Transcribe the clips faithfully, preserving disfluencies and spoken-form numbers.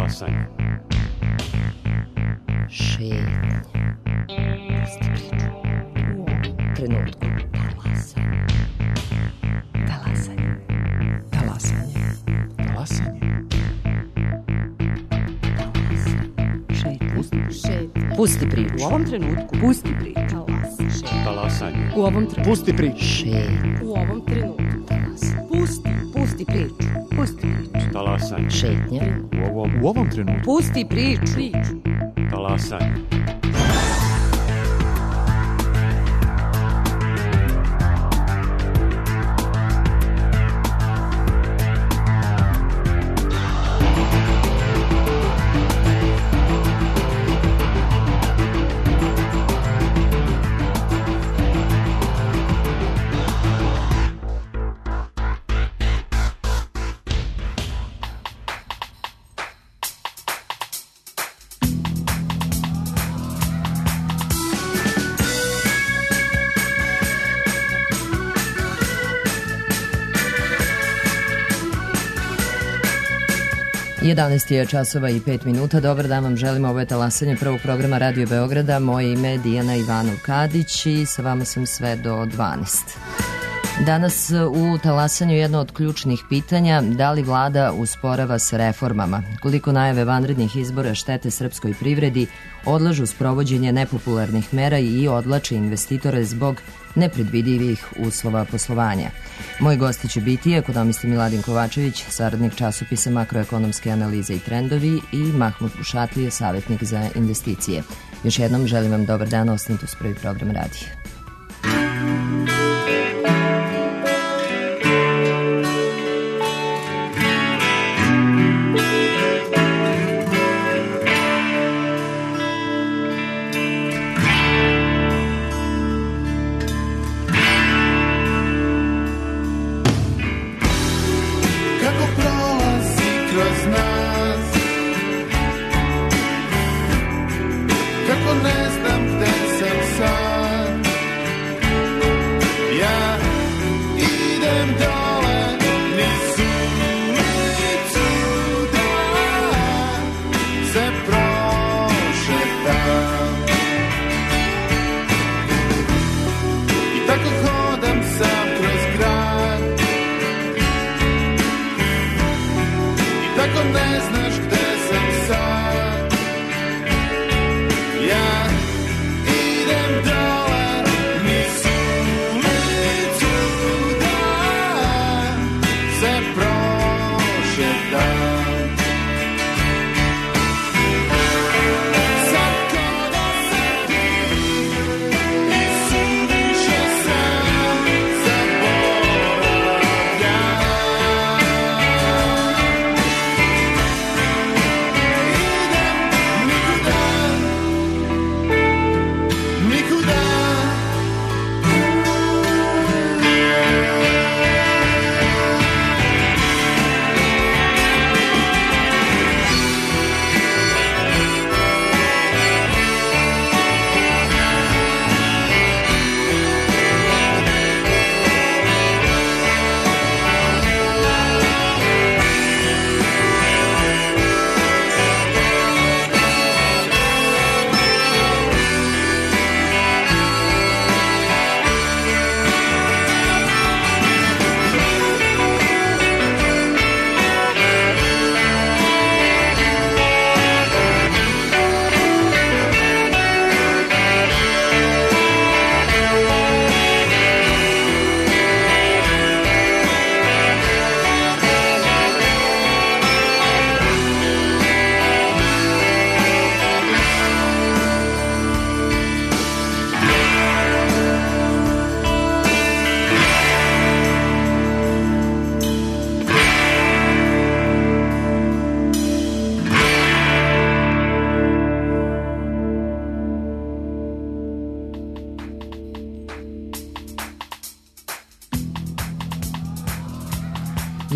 Talasanje. Šetnja. Pusti priču. U ovom trenutku. Talasanje. Talasanje. Talasanje. Talasanje. Šetnja. Pusti priču. Šetnja. Pusti priču. U ovom trenutku. Pusti priču. Talasanje. Talasanje. U ovom trenutku. Pusti priču. Šetnja. U ovom trenutku. Talasanje. Pusti. Pusti priču. Pusti priču. Talasanje. Šetnja. U ovom, u ovom trenutku. Pusti priču. Priču. Talasanje. jedanaest je časova i pet minuta. Dobar dan vam želimo, ovo je Talasanje prvog programa Radio Beograda. Moje ime je Dijana Ivanov-Kadić i sa vama sam sve do dvanaest. Danas u Talasanju jedno od ključnih pitanja, da li vlada usporava s reformama, koliko najave vanrednih izbora štete srpskoj privredi, odlažu sprovođenje nepopularnih mera i odlače investitore zbog nepredvidivih uslova poslovanja. Moji gosti će biti ekonomista Miladin Kovačević, saradnik časopisa Makroekonomske analize i trendovi, i Mahmut Bušatlija, savjetnik za investicije. Još jednom želim vam dobar dan, ostanite uz prvi program radija.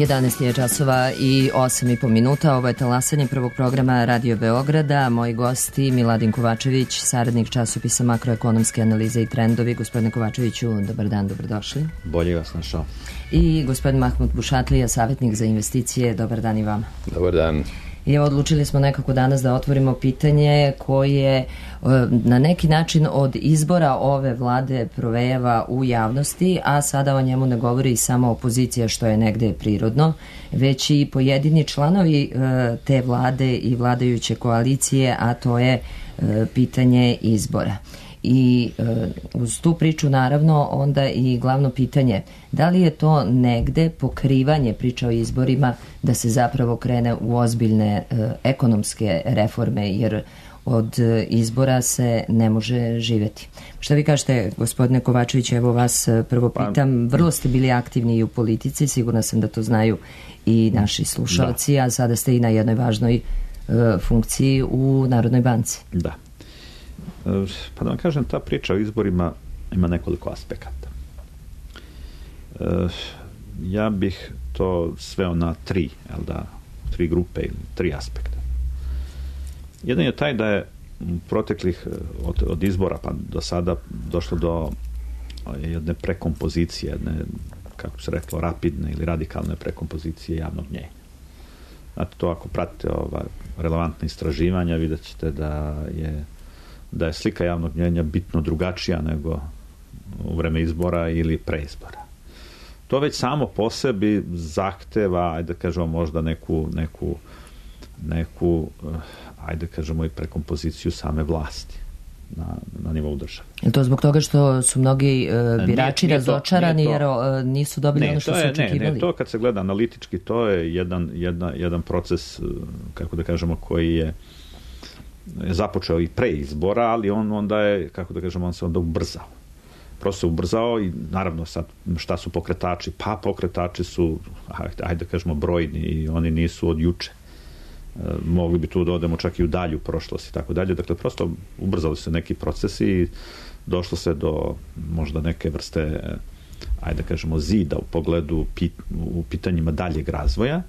jedanaest je časova i osam i po minuta. Ovo je Talasanje prvog programa Radio Beograda. Moji gosti Miladin Kovačević, saradnik časopisa Makroekonomske analize i trendovi. Gospodine Kovačeviću, dobar dan, dobrodošli. Bolje vas našao. I gospodin Mahmut Bušatlija, savjetnik za investicije. Dobar dan i vama. Dobar dan. I odlučili smo nekako danas da otvorimo pitanje koje na neki način od izbora ove vlade provejava u javnosti, a sada o njemu ne govori samo opozicija, što je negde prirodno, već i pojedini članovi te vlade i vladajuće koalicije, a to je pitanje izbora. I uz tu priču naravno onda i glavno pitanje, da li je to negde pokrivanje priča o izborima da se zapravo krene u ozbiljne ekonomske reforme, jer od izbora se ne može živeti. Šta vi kažete, gospodine Kovačević, evo vas prvo pitam, vrlo ste bili aktivni i u politici, sigurna sam da to znaju i naši slušalci, da. A sada ste i na jednoj važnoj funkciji u Narodnoj banci. Da. Pa da vam kažem, ta priča o izborima ima nekoliko aspekata. Ja bih to sveo na tri, jel da, tri grupe ili tri aspekta. Jedan je taj da je proteklih od, od izbora pa do sada došlo do jedne prekompozicije, jedne, kako se reklo, rapidne ili radikalne prekompozicije javnog mnjenja. Znate, to ako pratite ova relevantne istraživanja, vidjet ćete da je da je slika javnog mnjenja bitno drugačija nego u vreme izbora ili pre izbora. To već samo po sebi zahteva, ajde kažemo, možda neku, neku, neku ajde kažemo i prekompoziciju same vlasti na, na nivou države. Je to zbog toga što su mnogi uh, birači nije, nije razočarani to, jer uh, nisu dobili ne, ono što su očekivali? Ne, ne, to kad se gleda analitički, to je jedan, jedna, jedan proces, kako da kažemo, koji je je započeo i pre izbora, ali on onda je, kako da kažemo, on se onda ubrzao. Prosto se ubrzao i naravno sad šta su pokretači? Pa pokretači su, ajde da kažemo, brojni i oni nisu od juče. E, mogli bi tu da odemo čak i u dalju prošlost i tako dalje. Dakle, prosto ubrzali su neki procesi i došlo se do možda neke vrste, ajde da kažemo, zida u pogledu pit, u pitanjima daljeg razvoja.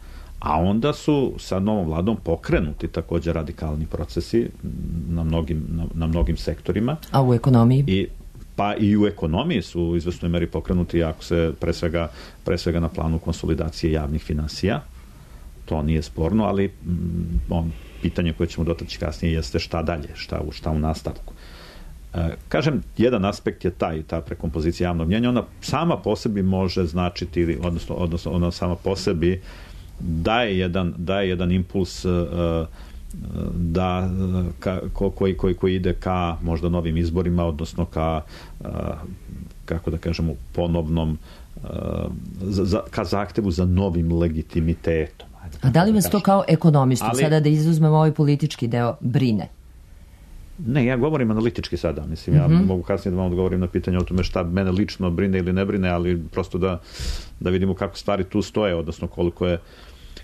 A onda su sa novom vladom pokrenuti također radikalni procesi na mnogim, na, na mnogim sektorima. A u ekonomiji? I, pa i u ekonomiji su u izvesnoj meri pokrenuti, ako se pre svega, pre svega na planu konsolidacije javnih finansija. To nije sporno, ali m, on, pitanje koje ćemo dotaći kasnije jeste šta dalje, šta, šta u nastavku. E, kažem, jedan aspekt je taj, ta prekompozicija javnog mnjenja. Ona sama po sebi može značiti, odnosno, odnosno ona sama po sebi daje jedan, daje jedan impuls uh, da, ka, ko, koji, koji, koji ide ka možda novim izborima, odnosno ka, uh, kako da kažemo, ponovnom uh, za, ka zahtevu za novim legitimitetom. Ajde, A da li vas da to kao ekonomistu, ali, sada da izuzmemo ovaj politički deo, brine? Ne, ja govorim analitički sada. Mislim, ja mm-hmm. mogu kasnije da vam odgovorim na pitanje o tome šta mene lično brine ili ne brine, ali prosto da, da vidimo kako stvari tu stoje, odnosno koliko je,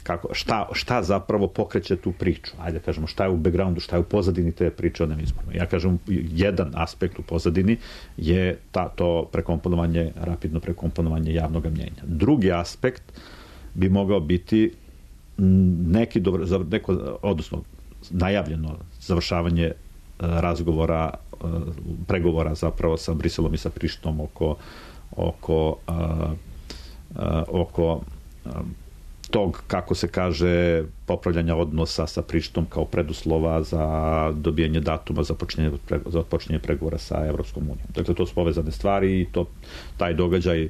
kako, šta, šta zapravo pokreće tu priču. Ajde kažemo, šta je u backgroundu, šta je u pozadini te priče o nem izborima. Ja kažem, jedan aspekt u pozadini je ta, to prekomponovanje, rapidno prekomponovanje javnog mnjenja. Drugi aspekt bi mogao biti neki dobro, neko, odnosno najavljeno završavanje razgovora, pregovora zapravo sa Briselom i sa Prištinom oko oko uh, uh, oko uh, tog, kako se kaže, popravljanja odnosa sa Prištinom kao preduslova za dobijanje datuma za počinjenje, za počinjenje pregovora sa Evropskom unijom. Dakle, to su povezane stvari i to, taj događaj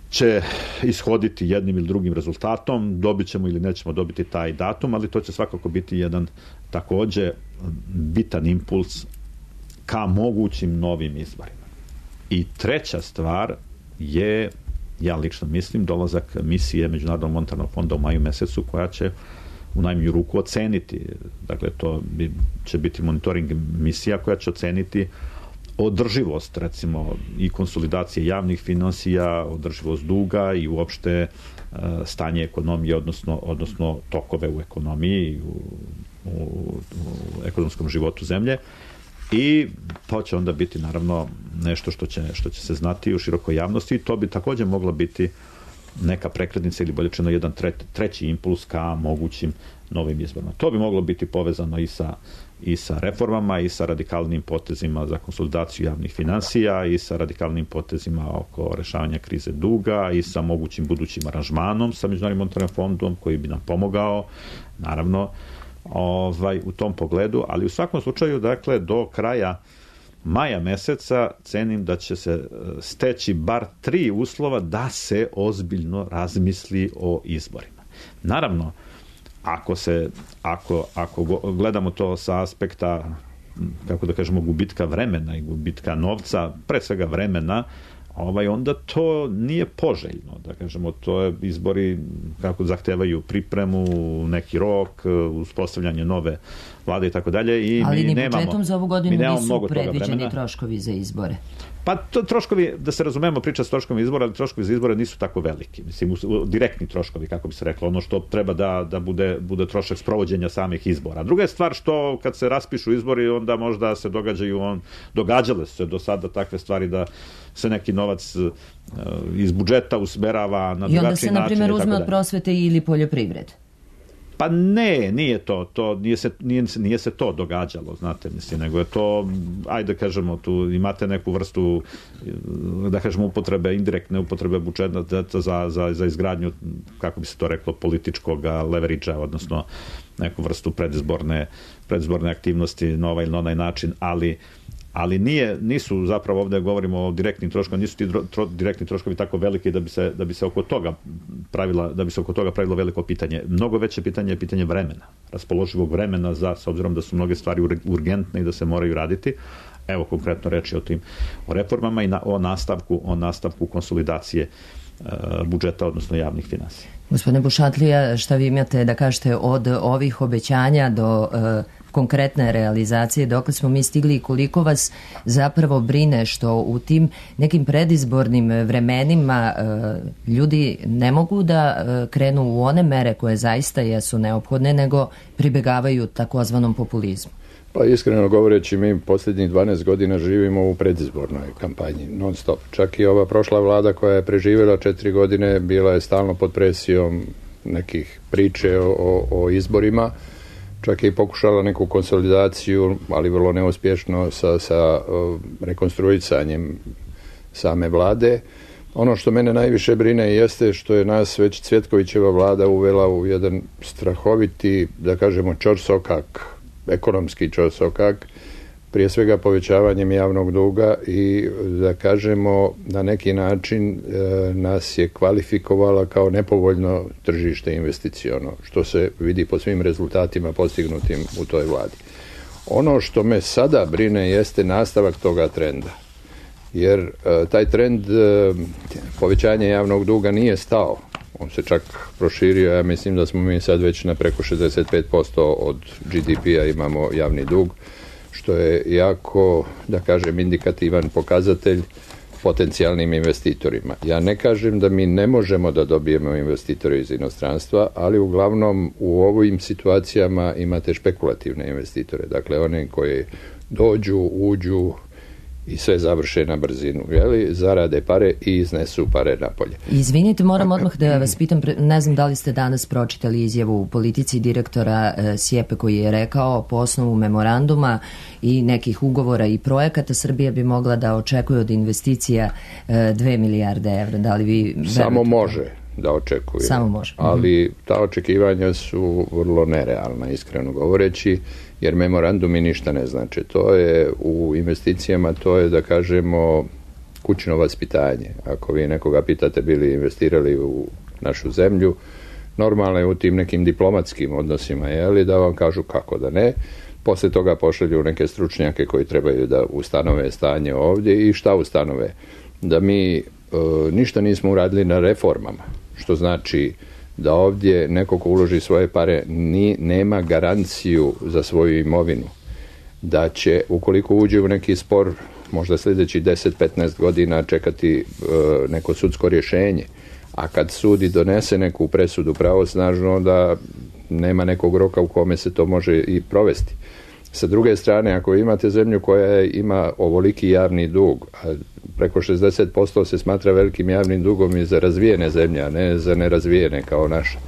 će ishoditi jednim ili drugim rezultatom, dobit ćemo ili nećemo dobiti taj datum, ali to će svakako biti jedan takođe bitan impuls ka mogućim novim izborima. I treća stvar je, ja lično mislim, dolazak misije Međunarodnog monetarnog fonda u maju mesecu, koja će u najmanju ruku oceniti, dakle to bi, će biti monitoring misija koja će oceniti održivost, recimo, i konsolidacije javnih finansija, održivost duga i uopšte e, stanje ekonomije, odnosno, odnosno tokove u ekonomiji, u, u, u ekonomskom životu zemlje. I to će onda biti, naravno, nešto što će, što će se znati u širokoj javnosti i to bi također mogla biti neka prekretnica ili bolje rečeno jedan tre, treći impuls ka mogućim novim izborima. To bi moglo biti povezano i sa i sa reformama i sa radikalnim potezima za konsolidaciju javnih finansija i sa radikalnim potezima oko rešavanja krize duga i sa mogućim budućim aranžmanom sa Međunarodnim monetarnim fondom koji bi nam pomogao, naravno, ovaj, u tom pogledu, ali u svakom slučaju, dakle, do kraja maja meseca cenim da će se steći bar tri uslova da se ozbiljno razmisli o izborima. Naravno, ako se, ako, ako gledamo to sa aspekta, kako da kažemo, gubitka vremena i gubitka novca, pre svega vremena, ovaj, onda to nije poželjno, da kažemo, to je izbori kako zahtevaju pripremu, neki rok, uspostavljanje nove vlade i tako dalje. I ali mi ni budžetom nemamo, za ovu godinu nisu predviđeni troškovi za izbore. Pa to troškovi, da se razumemo, priča s troškovima izbora, ali troškovi za izbore nisu tako veliki. Mislim, direktni troškovi, kako bi se reklo, ono što treba da, da bude, bude trošak sprovođenja samih izbora. Druga je stvar što kad se raspišu izbori, onda možda se događaju, on, događale su se do sada takve stvari da se neki novac uh, iz budžeta usmerava na drugačiji način. I onda se, na primjer, uzme od prosvete ili poljoprivrede. Pa ne, nije to, to nije, se, nije, nije se to događalo, znate, mislim, nego je to, ajde kažemo, tu imate neku vrstu, da kažemo, upotrebe, indirektne upotrebe budžeta za, za, za izgradnju, kako bi se to reklo, političkog leverage-a, odnosno neku vrstu predizborne, predizborne aktivnosti na ovaj ili na onaj način, ali ali nije, nisu zapravo, ovdje govorimo o direktnim troškovima, nisu ti tro, direktni troškovi tako veliki da bi se, da bi se oko toga pravila, da bi se oko toga pravilo veliko pitanje. Mnogo veće pitanje je pitanje vremena, raspoloživog vremena za, s obzirom da su mnoge stvari urgentne i da se moraju raditi. Evo konkretno reći o tim o reformama i na, o nastavku, o nastavku konsolidacije e, budžeta, odnosno javnih finansija. Gospodine Bušatlija, šta vi imate da kažete od ovih obećanja do e, konkretne realizacije, dokle smo mi stigli i koliko vas zapravo brine što u tim nekim predizbornim vremenima e, ljudi ne mogu da e, krenu u one mere koje zaista jesu neophodne, nego pribegavaju takozvanom populizmu? Pa iskreno govoreći, mi posljednjih dvanaest godina živimo u predizbornoj kampanji, non stop. Čak i ova prošla vlada koja je preživjela četiri godine bila je stalno pod presijom nekih priče o, o, o izborima. Čak je i pokušala neku konsolidaciju, ali vrlo neuspješno sa, sa uh, rekonstruisanjem same vlade. Ono što mene najviše brine jeste što je nas već Cvjetkovićeva vlada uvela u jedan strahoviti, da kažemo, ćorsokak, ekonomski ćorsokak, prije svega povećavanjem javnog duga i, da kažemo, na neki način e, nas je kvalifikovala kao nepovoljno tržište investiciono, što se vidi po svim rezultatima postignutim u toj vladi. Ono što me sada brine jeste nastavak toga trenda, jer e, taj trend e, povećanja javnog duga nije stao. On se čak proširio, ja mislim da smo mi sad već na preko šezdeset pet posto od G D P-a imamo javni dug, što je jako, da kažem, indikativan pokazatelj potencijalnim investitorima. Ja ne kažem da mi ne možemo da dobijemo investitore iz inostranstva, ali uglavnom u ovim situacijama imate špekulativne investitore, dakle one koji dođu, uđu i sve završe na brzinu, jeli, zarade pare i iznesu pare napolje. Izvinite, moram odmah da vas pitam, ne znam da li ste danas pročitali izjavu u Politici direktora e, Sjepe koji je rekao po osnovu memoranduma i nekih ugovora i projekata Srbija bi mogla da očekuje od investicija e, dve milijarde evra. Da li vi Samo može da očekuje. Samo može. Ali ta očekivanja su vrlo nerealna, iskreno govoreći, jer memorandumi ništa ne znači. To je u investicijama, to je, da kažemo, kućno vaspitanje. Ako vi nekoga pitate bili investirali u našu zemlju, normalno je u tim nekim diplomatskim odnosima, jeli, da vam kažu kako da ne. Poslije toga pošalju neke stručnjake koji trebaju da ustanove stanje ovdje i šta ustanove? Da mi e, ništa nismo uradili na reformama, što znači da ovdje neko ko uloži svoje pare ni, nema garanciju za svoju imovinu, da će, ukoliko uđe u neki spor, možda sljedeći deset do petnaest godina čekati e, neko sudsko rješenje, a kad sudi donese neku presudu pravosnažno, onda nema nekog roka u kome se to može i provesti. Sa druge strane, ako imate zemlju koja ima ovoliki javni dug, a preko šezdeset posto se smatra velikim javnim dugom i za razvijene zemlje, a ne za nerazvijene kao naša,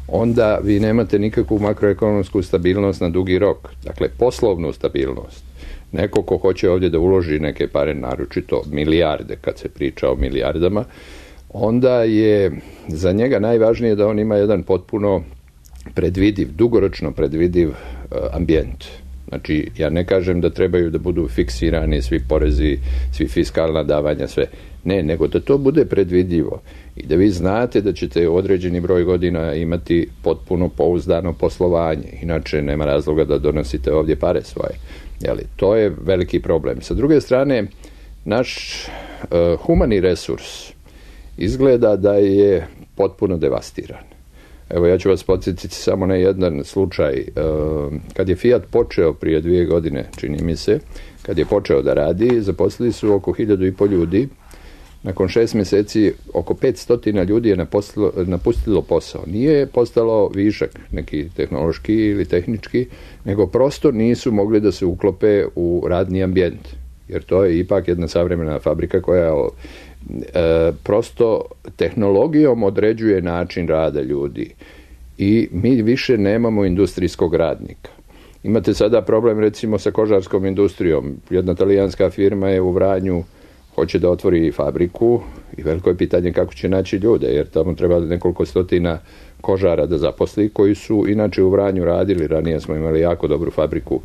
onda vi nemate nikakvu makroekonomsku stabilnost na dugi rok. Dakle, poslovnu stabilnost. Neko ko hoće ovdje da uloži neke pare, naročito milijarde, kad se priča o milijardama, onda je za njega najvažnije da on ima jedan potpuno predvidiv, dugoročno predvidiv uh, ambijent. Znači, ja ne kažem da trebaju da budu fiksirani svi porezi, svi fiskalna davanja, sve. Ne, nego da to bude predvidivo i da vi znate da ćete određeni broj godina imati potpuno pouzdano poslovanje. Inače, nema razloga da donosite ovdje pare svoje. Jeli, to je veliki problem. Sa druge strane, naš uh, humani resurs izgleda da je potpuno devastiran. Evo, ja ću vas podsjetiti samo na jedan slučaj. Kad je Fiat počeo prije dvije godine, čini mi se, kad je počeo da radi, zaposlili su oko hiljadu i pol ljudi. Nakon šest mjeseci oko petstotina ljudi je napustilo, napustilo posao. Nije postalo višak neki tehnološki ili tehnički, nego prosto nisu mogli da se uklope u radni ambijent. Jer to je ipak jedna savremena fabrika koja E, prosto tehnologijom određuje način rada ljudi i mi više nemamo industrijskog radnika. Imate sada problem recimo sa kožarskom industrijom. Jedna talijanska firma je u Vranju, hoće da otvori fabriku i veliko je pitanje kako će naći ljude, jer tamo treba nekoliko stotina kožara da zaposli, koji su inače u Vranju radili. Ranije smo imali jako dobru fabriku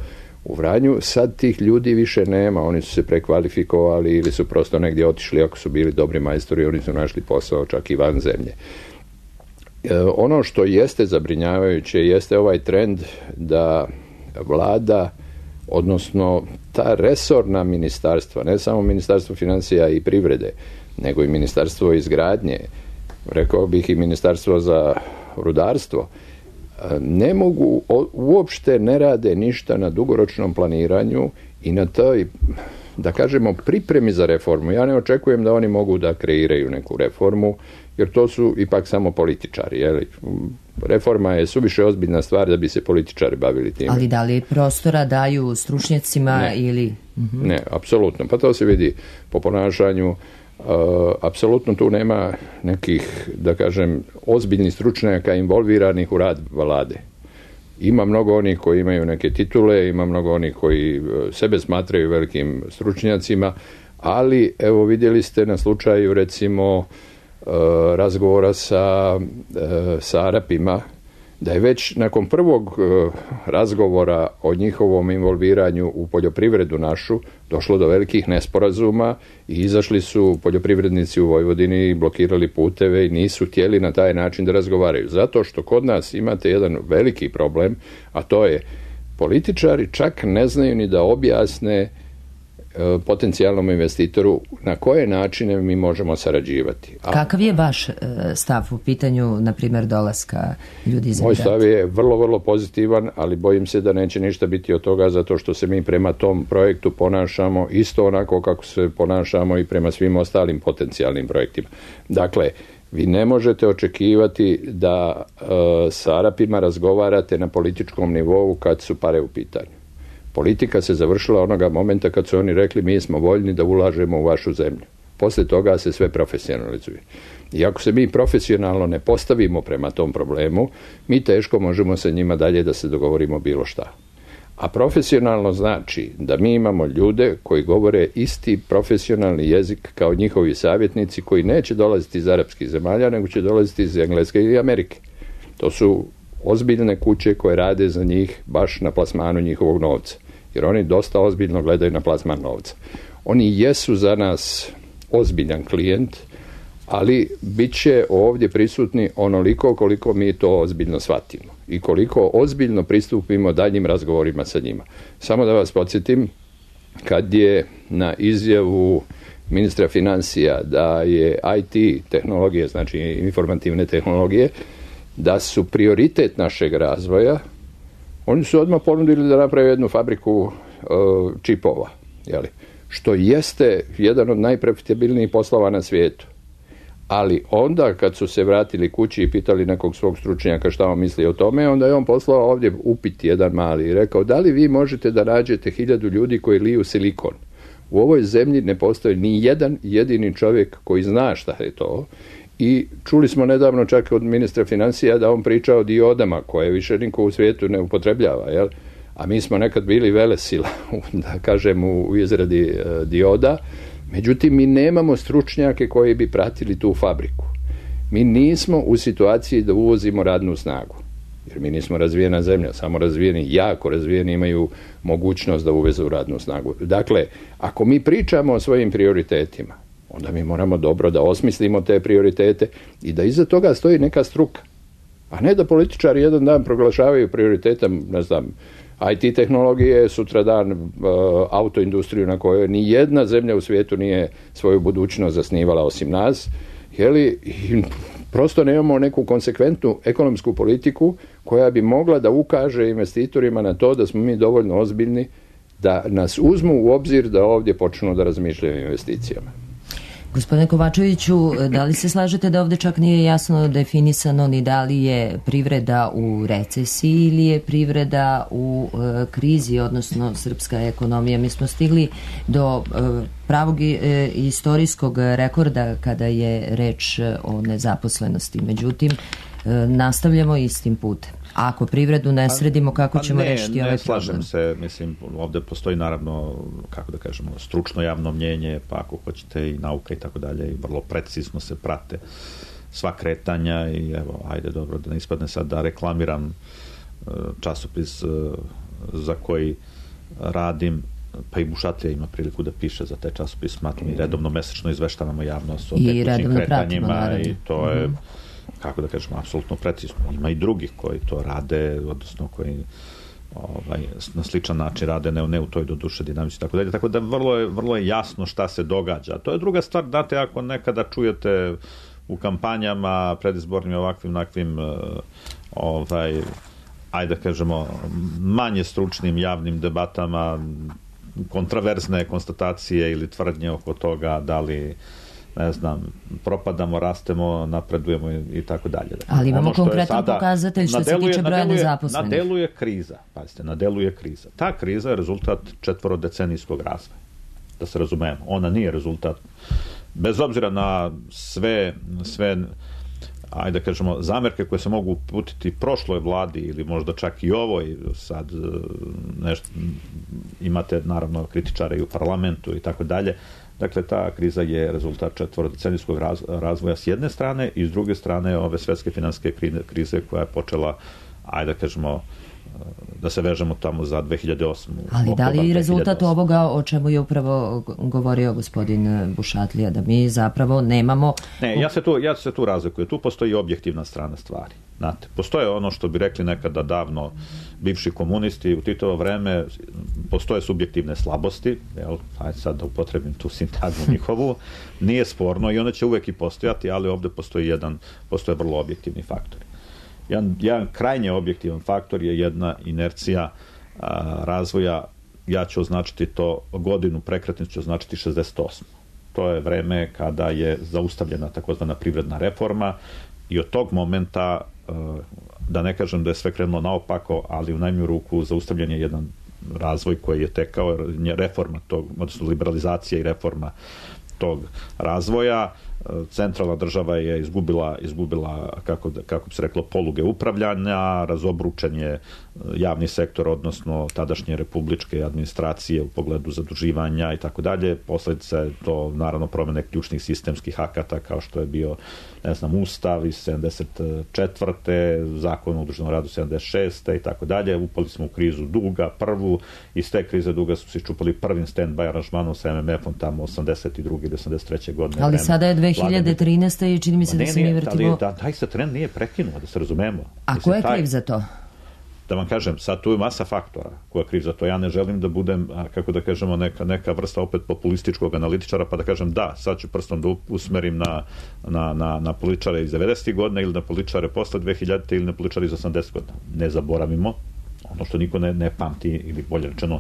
u Vranju, sad tih ljudi više nema, oni su se prekvalifikovali ili su prosto negdje otišli, ako su bili dobri majstori, oni su našli posao čak i van zemlje. E, ono što jeste zabrinjavajuće jeste ovaj trend da vlada, odnosno ta resorna ministarstva, ne samo ministarstvo financija i privrede, nego i ministarstvo izgradnje, rekao bih i ministarstvo za rudarstvo, ne mogu, uopšte ne rade ništa na dugoročnom planiranju i na toj, da kažemo, pripremi za reformu. Ja ne očekujem da oni mogu da kreiraju neku reformu, jer to su ipak samo političari. Jeli? Reforma je suviše ozbiljna stvar da bi se političari bavili tim. Ali da li prostora daju stručnjacima ne. ili... Uh-huh. Ne, apsolutno. Pa to se vidi po ponašanju. Uh, apsolutno tu nema nekih, da kažem, ozbiljnih stručnjaka involviranih u rad vlade. Ima mnogo onih koji imaju neke titule, ima mnogo onih koji sebe smatraju velikim stručnjacima, ali evo vidjeli ste na slučaju recimo uh, razgovora sa, uh, sa Arapima, da je već nakon prvog uh, razgovora o njihovom involviranju u poljoprivredu našu došlo do velikih nesporazuma i izašli su poljoprivrednici u Vojvodini i blokirali puteve i nisu htjeli na taj način da razgovaraju. Zato što kod nas imate jedan veliki problem, a to je političari čak ne znaju ni da objasne potencijalnom investitoru na koje načine mi možemo sarađivati. A kakav je vaš stav u pitanju, na primjer, dolaska ljudi iz Moj stav je vrlo, vrlo pozitivan, ali bojim se da neće ništa biti od toga, zato što se mi prema tom projektu ponašamo isto onako kako se ponašamo i prema svim ostalim potencijalnim projektima. Dakle, vi ne možete očekivati da uh, sa Arapima razgovarate na političkom nivou kad su pare u pitanju. Politika se završila onoga momenta kad su oni rekli mi smo voljni da ulažemo u vašu zemlju. Poslije toga se sve profesionalizuje. I ako se mi profesionalno ne postavimo prema tom problemu, mi teško možemo sa njima dalje da se dogovorimo bilo šta. A profesionalno znači da mi imamo ljude koji govore isti profesionalni jezik kao njihovi savjetnici, koji neće dolaziti iz arapskih zemalja, nego će dolaziti iz Engleske i Amerike. To su ozbiljne kuće koje rade za njih baš na plasmanu njihovog novca. Jer oni dosta ozbiljno gledaju na plasman novca. Oni jesu za nas ozbiljan klijent, ali bit će ovdje prisutni onoliko koliko mi to ozbiljno shvatimo i koliko ozbiljno pristupimo daljnjim razgovorima sa njima. Samo da vas podsjetim, kad je na izjavu ministra financija da je I T tehnologije, znači informativne tehnologije, da su prioritet našeg razvoja, oni su odmah ponudili da naprave jednu fabriku uh, čipova, jeli? Što jeste jedan od najprofitabilnijih poslova na svijetu. Ali onda kad su se vratili kući i pitali nekog svog stručnjaka šta on misli o tome, onda je on poslao ovdje upit jedan mali i rekao, da li vi možete da nađete hiljadu ljudi koji liju silikon U ovoj zemlji ne postoji ni jedan jedini čovjek koji zna šta je to. I čuli smo nedavno čak od ministra financija da on priča o diodama koje više niko u svijetu ne upotrebljava, jel? A mi smo nekad bili velesila, da kažem, u izradi e, dioda. Međutim, mi nemamo stručnjake koji bi pratili tu fabriku. Mi nismo u situaciji da uvozimo radnu snagu. Jer mi nismo razvijena zemlja, samo razvijeni, jako razvijeni imaju mogućnost da uvezu radnu snagu. Dakle, ako mi pričamo o svojim prioritetima, onda mi moramo dobro da osmislimo te prioritete i da iza toga stoji neka struka. A ne da političari jedan dan proglašavaju prioritetom, ne znam, I T tehnologije, sutradan uh, autoindustriju na kojoj ni jedna zemlja u svijetu nije svoju budućnost zasnivala osim nas. Jeli, i prosto nemamo neku konsekventnu ekonomsku politiku koja bi mogla da ukaže investitorima na to da smo mi dovoljno ozbiljni da nas uzmu u obzir da ovdje počnu da razmišljaju o investicijama. Gospodine Kovačeviću, da li se slažete da ovdje čak nije jasno definisano ni da li je privreda u recesiji ili je privreda u e, krizi, odnosno srpska ekonomija? Mi smo stigli do e, pravog e, istorijskog rekorda kada je reč o nezaposlenosti. Međutim, e, nastavljamo istim putem. A ako privredu ne sredimo, kako pa ćemo ne, rešiti ne ovaj slažem problem? se, mislim, ovdje postoji naravno, kako da kažemo, stručno javno mnjenje, pa ako hoćete i nauka i tako dalje, i vrlo precizno se prate sva kretanja i evo, ajde dobro, da ne ispadne sad da reklamiram časopis za koji radim, pa i Bušatlija ima priliku da piše za taj časopis, smatram i redovno mesečno izveštavamo javnost o tekućim kretanjima pratimo, i to je mm-hmm. kako da kažemo, apsolutno precizno. Ima i drugih koji to rade, odnosno koji ovaj, na sličan način rade, ne, ne u toj doduše dinamici, tako dalje. Tako da vrlo je, vrlo je jasno šta se događa. To je druga stvar, znate, ako nekada čujete u kampanjama, predizbornim ovakvim, nakvim, ovaj, ajde da kažemo, manje stručnim javnim debatama, kontraverzne konstatacije ili tvrdnje oko toga da li ne znam, propadamo, rastemo, napredujemo i, i tako dalje. Ali imamo ono konkretan pokazatelj što se tiče broja nezaposlenih. Na delu je kriza, pazite, na delu je kriza. Ta kriza je rezultat četvorodecenijskog razvoja. Da se razumemo. Ona nije rezultat, bez obzira na sve, sve ajde da kažemo, zamerke koje se mogu uputiti prošloj vladi ili možda čak i ovoj, sad nešto, imate naravno kritičare i u parlamentu i tako dalje. Dakle, ta kriza je rezultat četvorodecenijskog razvoja s jedne strane i s druge strane ove svetske finansijske krize koja je počela, ajde da kažemo, da se vežemo tamo za dve hiljade osmu. Ali da li je rezultat ovoga o čemu je upravo govorio gospodin Bušatlija, da mi zapravo nemamo... Ne, ja se tu, ja se tu razlikujem. Tu postoji objektivna strana stvari. Znate, postoje ono što bi rekli nekada davno bivši komunisti, u Titovo vreme postoje subjektivne slabosti, jel, ajde sad da upotrebim tu sintagmu njihovu, nije sporno i one će uvek i postojati, ali ovdje postoji jedan, postoje vrlo objektivni faktori. Jedan, jedan krajnje objektivan faktor je jedna inercija a, razvoja, ja ću označiti to, godinu prekretnicu ću označiti šezdeset osmu. To je vreme kada je zaustavljena takozvana privredna reforma i od tog momenta, a, da ne kažem da je sve krenulo naopako, ali u najmanju ruku zaustavljen je jedan razvoj koji je tekao, reforma tog, odnosno liberalizacija i reforma tog razvoja. Centralna država je izgubila, izgubila kako, kako bi se reklo, poluge upravljanja, razobručen je javni sektor, odnosno tadašnje republičke administracije u pogledu zaduživanja i tako dalje. Posljedica je to naravno promjene ključnih sistemskih akata kao što je bio, ne znam, Ustav iz sedamdeset četvrte Zakon o udruženom radu sedamdeset šeste i tako dalje. Upali smo u krizu duga, prvu, iz te krize duga su se iščupali prvim stand-by aranžmanom sa M M F-om tamo osamdeset druge ili osamdeset treće godine. Ali sada je dve hiljade trinaeste i čini mi se da se mi vrtimo... Ali da, taj se trend nije prekinuo, da se razumemo. A ko je kriv za to? Da vam kažem, sad tu je masa faktora ko je kriv za to. Ja ne želim da budem, kako da kažemo, neka, neka vrsta opet populističkog analitičara, pa da kažem da, sad ću prstom da usmerim na, na, na, na političare iz devedesetih godina ili na političare posle dve hiljadite ili na političare iz osamdesetih godina. Ne zaboravimo, ono što niko ne, ne pamti, ili bolje rečeno,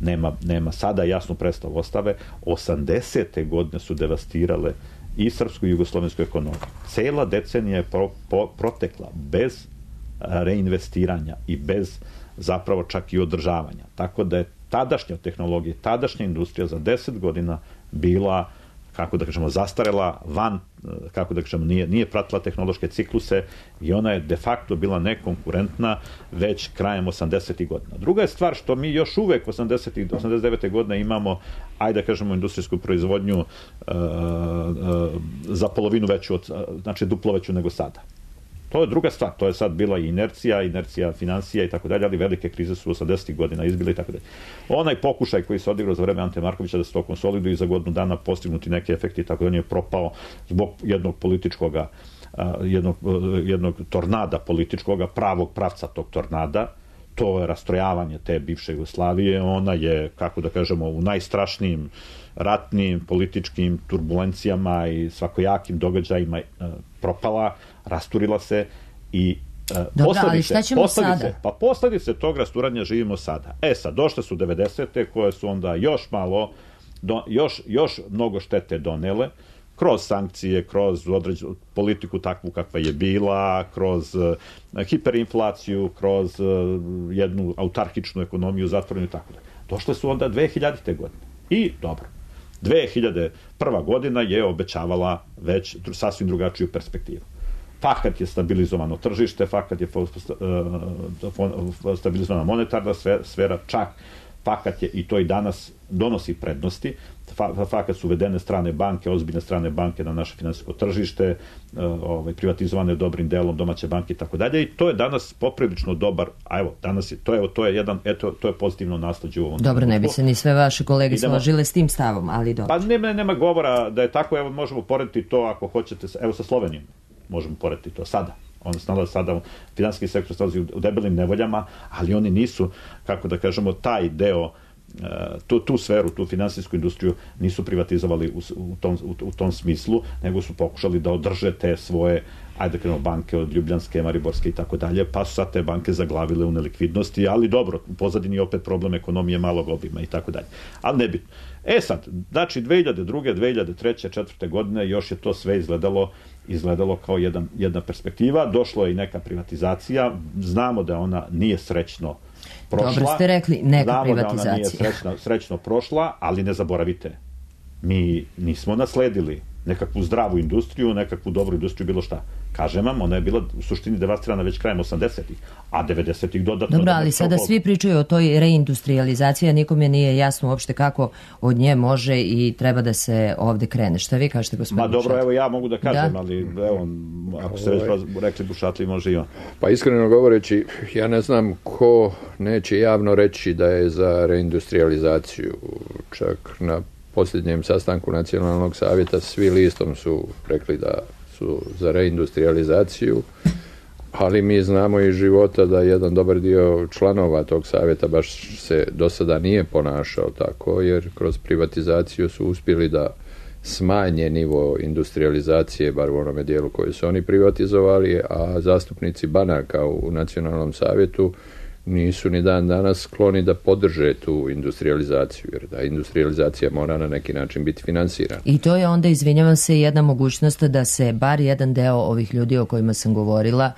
nema, nema sada jasnu predstavu ostave, osamdesete godine su devastirale i srpsku i jugoslovensku ekonomiju. Cela decenija je pro, pro, protekla bez reinvestiranja i bez zapravo čak i održavanja. Tako da je tadašnja tehnologija, tadašnja industrija za deset godina bila, kako da kažemo, zastarela, van, kako da kažemo, nije, nije pratila tehnološke cikluse i ona je de facto bila nekonkurentna već krajem osamdesetih godina. Druga je stvar što mi još uvek osamdesetih, osamdeset devete godine imamo, ajde da kažemo, industrijsku proizvodnju uh, uh, za polovinu veću, od, znači duplo veću nego sada. To je druga stvar, to je sad bila i inercija, inercija financija i tako dalje, ali velike krize su osamdesetih godina izbile i tako dalje. Onaj pokušaj koji se odigrao za vreme Ante Markovića da se to konsoliduje i za godinu dana postignuti neke efekti i tako dalje je propao zbog jednog političkoga, jednog, jednog tornada političkoga, pravog pravca tog tornada. To je rastrojavanje te bivše Jugoslavije, ona je, kako da kažemo, u najstrašnijim ratnim, političkim turbulencijama i svakojakim događajima propala, rasturila se i Dobro, posledice, ali šta ćemo posledice, sada? Pa posledice tog rasturanja živimo sada. E sad, došle su devedesete koje su onda još malo, do, još, još mnogo štete donele, kroz sankcije, kroz određenu politiku takvu kakva je bila, kroz uh, hiperinflaciju, kroz uh, jednu autarkičnu ekonomiju zatvorenu i tako da. Došle su onda dve hiljadite godine. I dobro, dve hiljade prva godina je obećavala već sasvim drugačiju perspektivu. Fakat je stabilizovano tržište, fakat je stabilizovana monetarna sfera, čak fakat je, i to i danas donosi prednosti, fakat su uvedene strane banke, ozbiljne strane banke na naše finansijsko tržište, ovaj, privatizovane dobrim delom domaće banke i tako dalje, i to je danas poprilično dobar, a evo, danas je, to je, to je jedan, eto, to je pozitivno nasleđe u ovom. Dobro, ne bi se ni sve vaše kolege složile s tim stavom, ali dobro. Pa nema, nema govora da je tako, evo, možemo porediti to ako hoćete, evo sa Slovenijom, možemo porediti to sada. On se nalazi sada, finansijski sektor se nalazi u debelim nevoljama, ali oni nisu, kako da kažemo, taj deo, tu, tu sferu, tu finansijsku industriju nisu privatizovali u, u, tom, u, u tom smislu, nego su pokušali da održe te svoje, ajde da kažemo, banke od Ljubljanske, Mariborske i tako dalje, pa su sad te banke zaglavile u nelikvidnosti, ali dobro, u pozadini je opet problem ekonomije malog obima i tako dalje. Ali nebitno. E sad, znači dve hiljade druge, dve hiljade treće, četvrte godine još je to sve izgledalo izgledalo kao jedan, jedna perspektiva. Došlo je i neka privatizacija. Znamo da ona nije srećno prošla. Dobro ste rekli, neka Znamo privatizacija. Znamo da ona nije srećno, srećno prošla, ali ne zaboravite. Mi nismo nasledili nekakvu zdravu industriju, nekakvu dobru industriju, bilo šta. Kažem vam, ona je bila u suštini devastirana već krajem osamdesetih, a devedesetih dodatno... Dobro, ali sada svi pričaju o toj reindustrializaciji, a nikome nije jasno uopšte kako od nje može i treba da se ovde krene. Šta vi kažete, gospodin Ma dobro, Bušatli? evo ja mogu da kažem, da? ali evo, ako ste već rekli Bušatli, može i on. Pa iskreno govoreći, ja ne znam ko neće javno reći da je za reindustrializaciju. Čak na posljednjem sastanku Nacionalnog savjeta svi listom su rekli da su za reindustrializaciju, ali mi znamo iz života da jedan dobar dio članova tog savjeta baš se do sada nije ponašao tako, jer kroz privatizaciju su uspjeli da smanje nivo industrializacije, bar u onome dijelu koje su oni privatizovali, a zastupnici banaka u Nacionalnom savjetu nisu ni dan danas skloni da podrže tu industrializaciju, jer da industrializacija mora na neki način biti finansirana. I to je onda, izvinjavam se, jedna mogućnost da se bar jedan deo ovih ljudi o kojima sam govorila,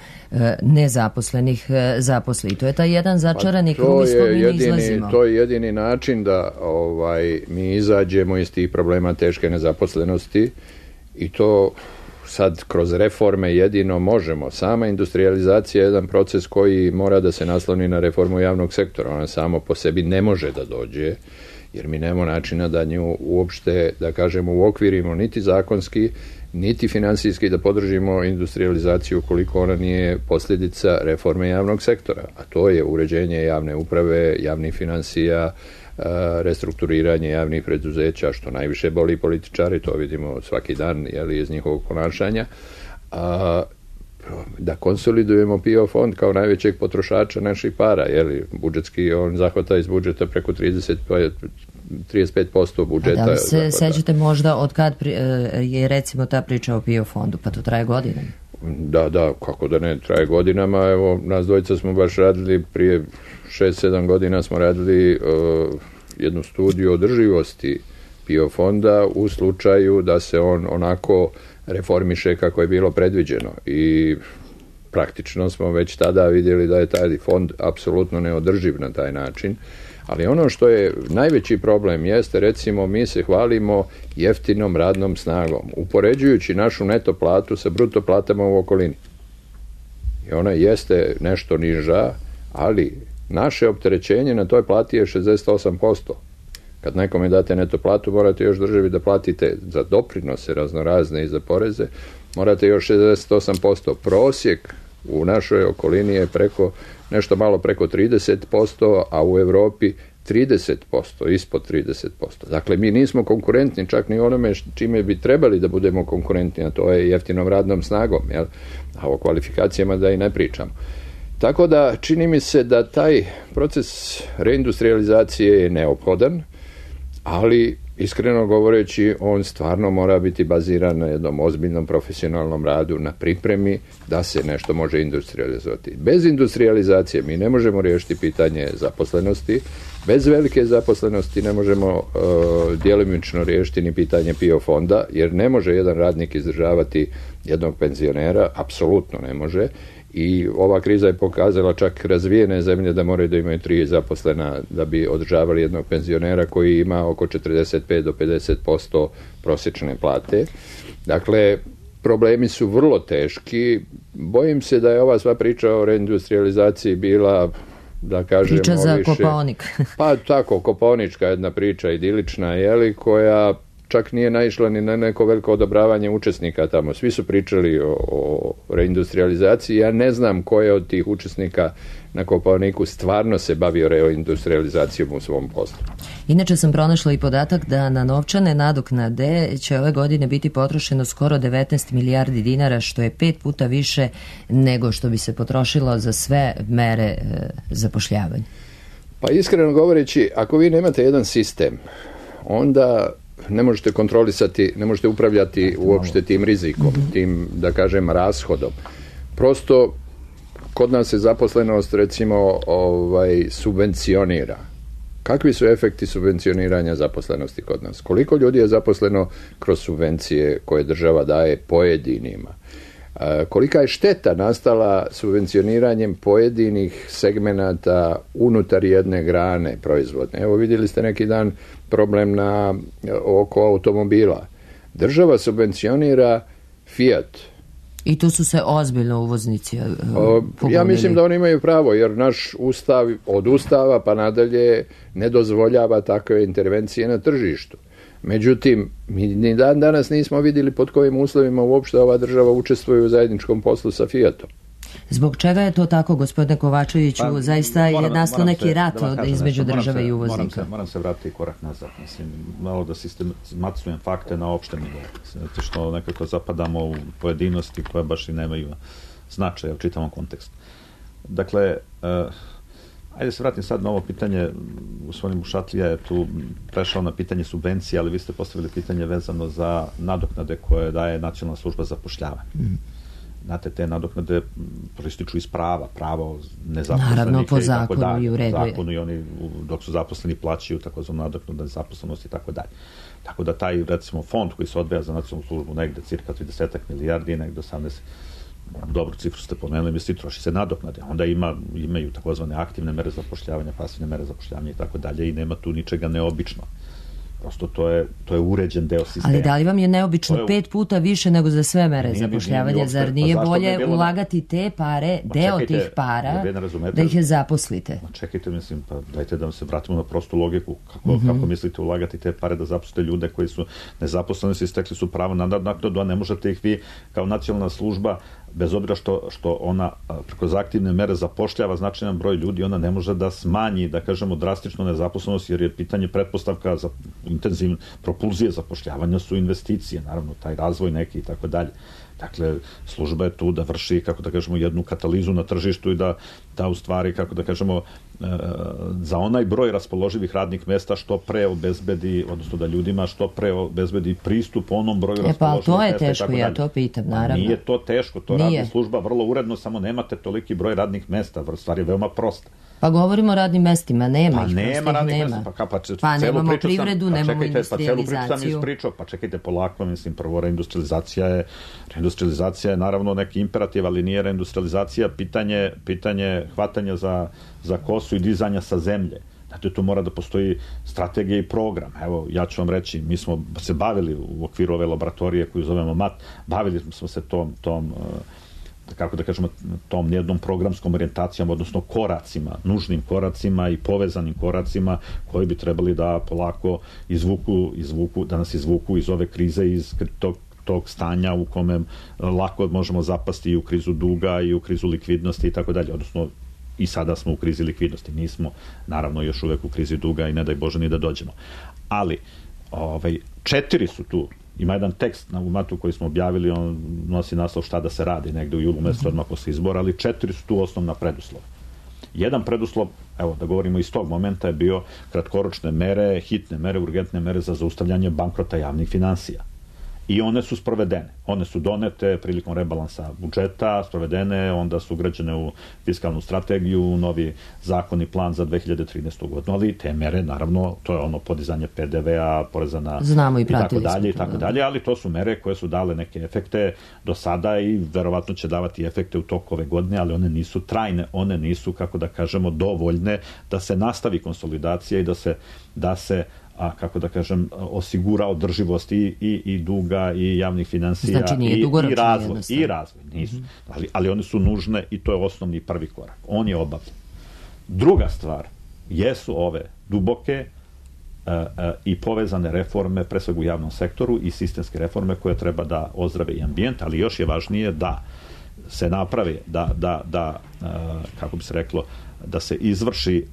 nezaposlenih, zaposli. I to je taj jedan začarani pa krug iz kog mi jedini, izlazimo. To je jedini način da ovaj, mi izađemo iz tih problema teške nezaposlenosti, i to sad kroz reforme jedino možemo. Sama industrializacija je jedan proces koji mora da se nasloni na reformu javnog sektora. Ona samo po sebi ne može da dođe, jer mi nemamo načina da nju uopšte, da kažemo, uokvirimo niti zakonski, niti finansijski da podržimo industrializaciju ukoliko ona nije posljedica reforme javnog sektora. A to je uređenje javne uprave, javnih finansija, restrukturiranje javnih preduzeća, što najviše boli političari, to vidimo svaki dan, jeli, iz njihovog ponašanja. A, da konsolidujemo P I O fond kao najvećeg potrošača naših para, jeli, budžetski, on zahvata iz budžeta preko trideset, trideset pet posto budžeta. A da li se zahvata. sećate možda od kad je recimo ta priča o P I O fondu, pa to traje godinama? Da, da, kako da ne, traje godinama. Evo, nas dvojica smo baš radili prije šest sedam godina smo radili uh, jednu studiju održivosti P I O fonda u slučaju da se on onako reformiše kako je bilo predviđeno, i praktično smo već tada vidjeli da je taj fond apsolutno neodrživ na taj način, Ali ono što je najveći problem jeste, recimo, mi se hvalimo jeftinom radnom snagom, upoređujući našu neto platu sa bruto platama u okolini. I ona jeste nešto niža, ali naše opterećenje na toj plati je šezdeset osam posto. Kad nekome date neto platu, morate još državi da platite za doprinose raznorazne i za poreze, morate još šezdeset osam posto. Prosjek u našoj okolini je preko, nešto malo preko trideset posto, a u Europi trideset posto, ispod trideset posto. Dakle, mi nismo konkurentni čak ni onome čime bi trebali da budemo konkurentni, a to je jeftinom radnom snagom, jel? A o kvalifikacijama da i ne pričamo. Tako da čini mi se da taj proces reindustrializacije je neophodan, ali iskreno govoreći on stvarno mora biti baziran na jednom ozbiljnom profesionalnom radu, na pripremi da se nešto može industrializovati. Bez industrializacije mi ne možemo riješiti pitanje zaposlenosti, bez velike zaposlenosti ne možemo uh, djelomično riješiti ni pitanje P I O fonda, jer ne može jedan radnik izdržavati jednog penzionera, apsolutno ne može. I ova kriza je pokazala čak razvijene zemlje da moraju da imaju tri zaposlena da bi održavali jednog penzionera koji ima oko četrdeset pet do pedeset posto prosječne plate. Dakle, problemi su vrlo teški. Bojim se da je ova sva priča o reindustrializaciji bila, da kažemo, priča za više, Kopaonik. pa tako, kopaonička jedna priča, idilična, jeli, koja čak nije naišla ni na neko veliko odobravanje učesnika tamo. Svi su pričali o, o reindustrializaciji. Ja ne znam ko je od tih učesnika na Kopaoniku stvarno se bavio reindustrializacijom u svom poslu. Inače sam pronašla i podatak da na novčane nadoknade će ove godine biti potrošeno skoro devetnaest milijardi dinara, što je pet puta više nego što bi se potrošilo za sve mere e, zapošljavanja. Pa iskreno govoreći, ako vi nemate jedan sistem, onda ne možete kontrolisati, ne možete upravljati uopšte tim rizikom, tim, da kažem, rashodom. Prosto, kod nas se zaposlenost, recimo, ovaj, subvencionira. Kakvi su efekti subvencioniranja zaposlenosti kod nas? Koliko ljudi je zaposleno kroz subvencije koje država daje pojedinima? E, kolika je šteta nastala subvencioniranjem pojedinih segmenata unutar jedne grane proizvodne? Evo, vidjeli ste neki dan problem na, oko automobila. Država subvencionira Fiat. I tu su se ozbiljno uvoznici o, Ja mislim da oni imaju pravo, jer naš ustav od ustava pa nadalje ne dozvoljava takve intervencije na tržištu. Međutim, mi ni dan danas nismo vidjeli pod kojim uslovima uopšte ova država učestvuje u zajedničkom poslu sa Fiatom. Zbog čega je to tako, gospodine Kovačeviću? Pa, Zaista je nastao neki rat da između nešto, države se, i uvoznika. Moram se, moram se vratiti korak nazad. Mislim, malo da sistematizujem fakte na opštem nivou. Zato što nekako zapadamo u pojedinosti koje baš i nemaju značaja u čitavom kontekstu. Dakle, uh, ajde se vratim sad na ovo pitanje. Gospodin Bušatlija je tu prešao na pitanje subvencije, ali vi ste postavili pitanje vezano za nadoknade koje daje Nacionalna služba za zapošljavanje. Mm. Znate, te nadoknade proističu iz prava, pravo nezaposlenih. Naravno, po i tako zakonu dalje. i u redu je. Zakonu i oni, dok su zaposleni, plaćaju takozvanu nadoknadu nezaposlenosti i tako dalje. Tako da taj, recimo, fond koji se odvaja za nacionalnu službu negde cirka trideset milijardi, negde osamnaest, dobru cifru ste pomenuli, misli, troši se nadoknade. Onda ima, imaju takozvane aktivne mere zapošljavanja, pasivne mere zapošljavanja i tako dalje i nema tu ničega neobično. Prosto to je, to je uređen deo sistema. Ali da li vam je neobično je, pet puta više nego za sve mere nije, zapošljavanja? Nije, zar nije pa bolje bilo ulagati te pare, pa deo čekajte, tih para, da ih je zaposlite? Pa čekajte, mislim, pa dajte da se vratimo na prostu logiku. Kako, mm-hmm. kako mislite ulagati te pare da zaposlite ljude koji su nezaposleni, su istekli su pravo na naknadu, a ne možete ih vi kao nacionalna služba, bez obzira što, što ona preko aktivne mere zapošljava značajan broj ljudi, ona ne može da smanji, da kažemo, drastično nezaposlenost, jer je pitanje pretpostavka za intenzivne propulzije zapošljavanja su investicije, naravno, taj razvoj neki i tako dalje. Dakle, služba je tu da vrši, kako da kažemo, jednu katalizu na tržištu i da, da u stvari, kako da kažemo, e, za onaj broj raspoloživih radnih mesta što pre obezbedi, odnosno da ljudima što pre obezbedi pristup onom broju e, raspoloživih mesta. Pa to je teško, ja to pitam, naravno. Nije to teško, to Nije. radi služba vrlo uredno, samo nemate toliki broj radnih mesta, stvar je veoma prosta. Pa govorimo o radnim mestima, nema pa ih, nema radnih nema. mesta, pa, pa, pa nemamo privredu, sam, pa nemamo čekajte, industrializaciju. Pa celu priču sam ispričao, pa čekajte polako, mislim, prvo reindustrializacija je, reindustrializacija je naravno neki imperativ, ali nije reindustrializacija pitanje, pitanje hvatanja za, za kosu i dizanja sa zemlje. Znate, tu mora da postoji strategija i program. Evo, ja ću vam reći, mi smo se bavili u okviru ove laboratorije koju zovemo M A T, bavili smo se tom, tom kako da kažemo, tom jednom programskom orijentacijom, odnosno koracima, nužnim koracima i povezanim koracima koji bi trebali da polako izvuku, izvuku, da nas izvuku iz ove krize, iz tog, tog stanja u kome lako možemo zapasti i u krizu duga i u krizu likvidnosti i tako dalje, odnosno i sada smo u krizi likvidnosti, nismo naravno još uvek u krizi duga i ne daj Bože ni da dođemo. Ali ovaj, četiri su tu. Ima jedan tekst na umatu koji smo objavili, on nosi naslov šta da se radi negde u julu mesecu odmah posle izbora, ali četiri su tu osnovna preduslova. Jedan preduslov, evo da govorimo iz tog momenta, je bio kratkoročne mere, hitne mere, urgentne mere za zaustavljanje bankrota javnih finansija. I one su sprovedene. One su donete prilikom rebalansa budžeta, sprovedene, onda su ugrađene u fiskalnu strategiju, novi zakon i plan za dve hiljade trinaestu. godinu, ali te mere, naravno, to je ono podizanje P D V-a, poreza na... Znamo i i tako pratili dalje, i smo to, tako da. dalje, ali to su mere koje su dale neke efekte do sada i verovatno će davati efekte u toku ove godine, ali one nisu trajne, one nisu, kako da kažemo, dovoljne da se nastavi konsolidacija i da se, da se a kako da kažem, osigura održivost i, i, i duga i javnih finansija znači, nije i, i razvoj, jednostavno. i razvoj, nisu. Mm-hmm. Ali, ali one su nužne i to je osnovni prvi korak. On je obavljen. Druga stvar jesu ove duboke uh, uh, i povezane reforme, pre svega u javnom sektoru i sistemske reforme koje treba da ozdrave i ambijent, ali još je važnije da se napravi, da, da, da uh, kako bi se reklo, da se izvrši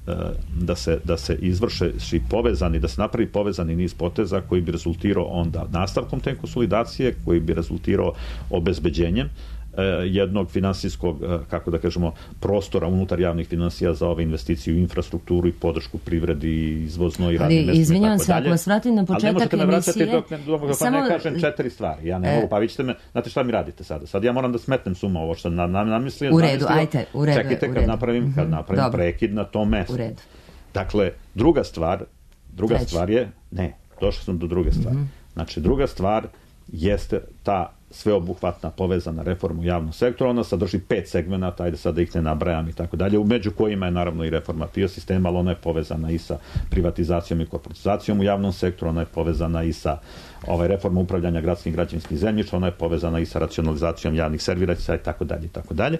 da se, da se izvrše povezani, da se napravi povezani niz poteza koji bi rezultirao onda nastavkom te konsolidacije, koji bi rezultirao obezbeđenjem jednog finansijskog, kako da kažemo, prostora unutar javnih finansija za ove investicije u infrastrukturu i podršku privredi i izvozno i radnim mestima. Ali, izvinjavam se, ako vas vratim na početak emisije... Ali ne možete me vraćati dok, dok pa samo... ne kažem četiri stvari. Ja ne e... mogu, pa vi ćete me... Znate šta mi radite sada? Sad ja moram da smetnem suma ovo što nam namislio. U redu, ajte, u redu. Čekajte kad napravim, kad napravim prekid na tom mestu. U redu. Dakle, druga stvar, druga Treći. stvar je... Ne, došao sam do druge stvari. Mm-hmm. Znači, druga stvar jeste ta sveobuhvatna povezana reforma u javnom sektoru, ona sadrži pet segmenata, ajde sad da ih ne nabrajam i tako dalje, među kojima je naravno i reforma P I O sistema, ali ona je povezana i sa privatizacijom i korporatizacijom u javnom sektoru, ona je povezana i sa ovaj, reforma upravljanja gradskim građevinskim zemljištem, ona je povezana i sa racionalizacijom javnih servisa i tako dalje i tako dalje.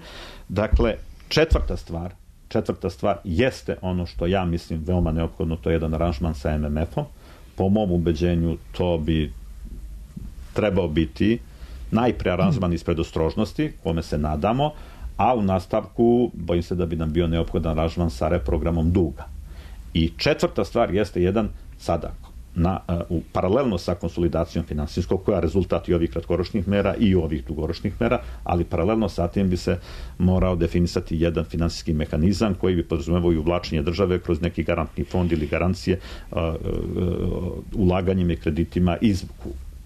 Dakle, četvrta stvar, četvrta stvar jeste ono što ja mislim veoma neophodno, to je jedan aranžman sa M M F-om. Po mom ubeđenju to bi trebao biti najpre aranžman iz predostrožnosti, kome se nadamo, a u nastavku bojim se da bi nam bio neophodan aranžman sa reprogramom duga. I četvrta stvar jeste jedan sada na, u, paralelno sa konsolidacijom finansijskog, koja je rezultat i ovih kratkoročnih mera i ovih dugoročnih mera, ali paralelno sa tim bi se morao definisati jedan finansijski mehanizam koji bi podrazumevao i uvlačenje države kroz neki garantni fond ili garancije uh, uh, ulaganjem i kreditima iz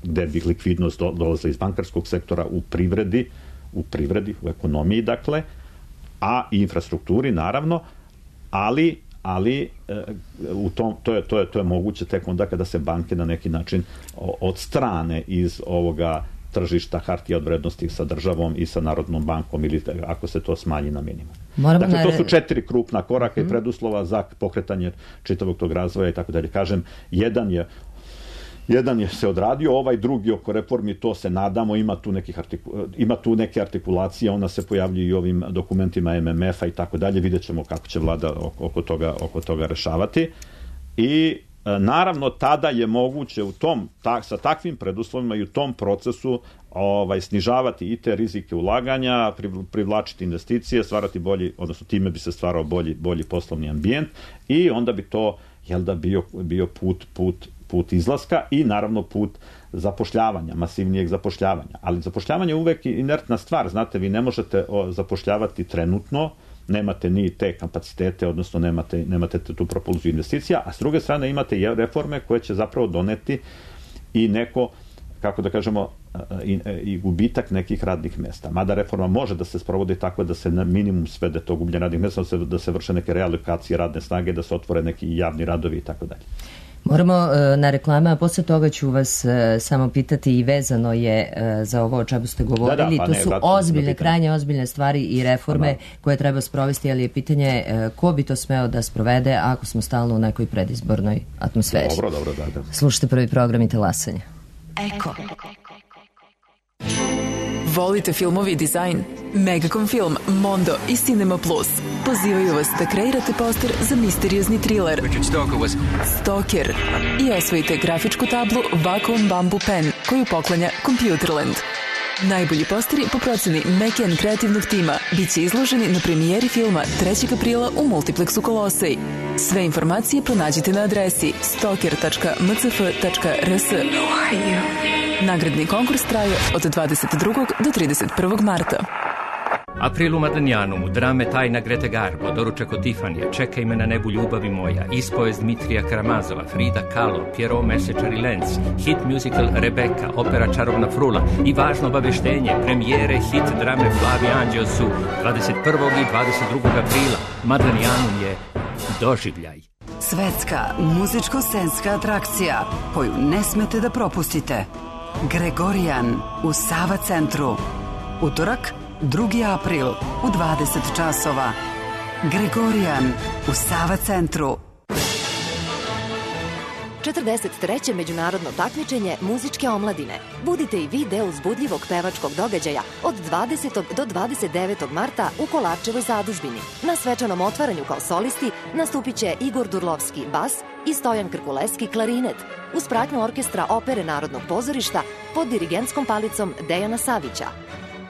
gde bi likvidnost dolazila iz bankarskog sektora u privredi, u privredi, u ekonomiji, dakle, a i infrastrukturi, naravno, ali, ali e, u tom, to, je, to, je, to je moguće tek onda kada se banke na neki način odstrane iz ovoga tržišta hartija od vrednosti sa državom i sa Narodnom bankom ili ako se to smanji na minimum. Moramo dakle, to su četiri krupna koraka mm. i preduslova za pokretanje čitavog tog razvoja i tako dalje. Kažem, jedan je Jedan je se odradio, ovaj drugi oko reformi, to se nadamo, ima tu, nekih artiku, ima tu neke artikulacije, ona se pojavljuje i ovim dokumentima M M F-a i tako dalje, vidjet ćemo kako će vlada oko toga, oko toga rešavati. I naravno, tada je moguće u tom, ta, sa takvim preduslovima i u tom procesu ovaj, snižavati i te rizike ulaganja, privlačiti investicije, stvarati bolji, odnosno time bi se stvarao bolji, bolji poslovni ambijent i onda bi to, jel da, bio, bio put, put put izlaska i naravno put zapošljavanja, masivnijeg zapošljavanja. Ali zapošljavanje je uvek inertna stvar, znate, vi ne možete zapošljavati trenutno, nemate ni te kapacitete, odnosno nemate, nemate tu propulziju investicija, a s druge strane imate i reforme koje će zapravo doneti i neko, kako da kažemo, i, i gubitak nekih radnih mesta. Mada reforma može da se sprovodi tako da se na minimum svede to gubljenje radnih mesta, da se, da se vrše neke realokacije radne snage, da se otvore neki javni radovi i tako dalje. Moramo e, na reklame, a posle toga ću vas e, samo pitati i vezano je e, za ovo o čemu ste govorili. Da, da, pa to ne, su ozbiljne, krajnje ozbiljne stvari i reforme pa, koje treba sprovesti, ali je pitanje e, ko bi to smeo da sprovede ako smo stalno u nekoj predizbornoj atmosferi. Dobro, dobro, da, da. Slušajte prvi program i Talasanje. Eko. Volite filmovi i dizajn? Megacom Film, Mondo i Cinema Plus pozivaju vas da kreirate poster za misteriozni thriller Stalker i osvojite grafičku tablu Vacuum Bamboo Pen koju poklanja Computerland. Najbolji posteri po proceni Mekian kreativnog tima bit će izloženi na premijeri filma trećeg aprila u Multiplexu Kolosej. Sve informacije pronađite na adresi stalker tačka m c f tačka r s. Nagradni konkurs traje od dvadeset drugog do trideset prvog marta. April u Madanjanu, drame Tajna Grete Garbo, Doručak od Tifanija, Čekaj me na nebu ljubavi moja, Ispovest Dmitrija Karamazova, Frida Kahlo, Pierrot Mesečar i Lenz, hit musical Rebeka, opera Čarovna frula i važno obaveštenje, premijere hit drame Flavi Anđeo su dvadeset prvog i dvadeset drugog aprila. Madanjanum je doživljaj. Svetska muzičko-scenska atrakcija koju ne smete da propustite. Gregorijan u Sava centru. Utorak, drugi april u dvadeset časova. Gregorijan u Sava centru. četrdeset treće međunarodno takmičenje muzičke omladine. Budite i vi deo uzbudljivog pevačkog događaja od dvadesetog do dvadeset devetog marta u Kolarčevoj zadužbini. Na svečanom otvaranju kao solisti nastupit će Igor Durlovski bas i Stojan Krkuleski klarinet uz pratnju orkestra Opere Narodnog pozorišta pod dirigentskom palicom Dejana Savića.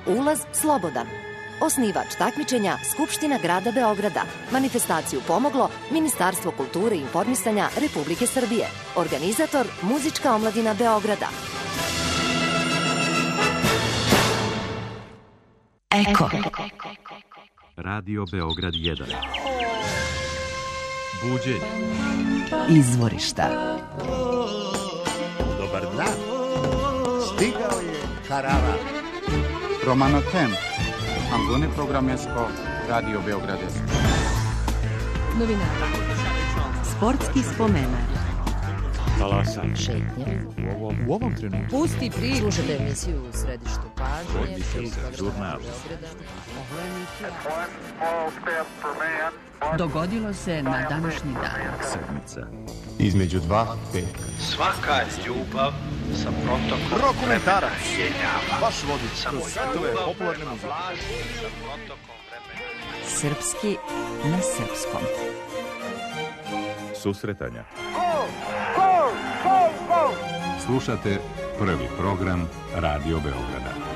Ulaz slobodan. Osnivač takmičenja Skupština grada Beograda. Manifestaciju pomoglo Ministarstvo kulture i informisanja Republike Srbije. Organizator Muzička omladina Beograda. Eko. Radio Beograd jedan. Buđenje. Izvorišta. Dobar dan. Stigao je karavan. Romano Temp. Angone Programesko, Radio Beogradesko. Novinara. Sportski spomenar. Talasanje. Šetnje. U ovom, u ovom trenutku. Pusti priču. Slušajte emisiju U središtu pažnje. Žurnal. Dogodilo se na današnji dan. Sedmica. Između dva petka. Svaka ljubav sa protokom Rokomentarac. vremena. Vaš vodič kroz svetove popularne muzike. Sa protokom vremena. Srpski na srpskom. Susretanja. Slušate prvi program Radio Beograda.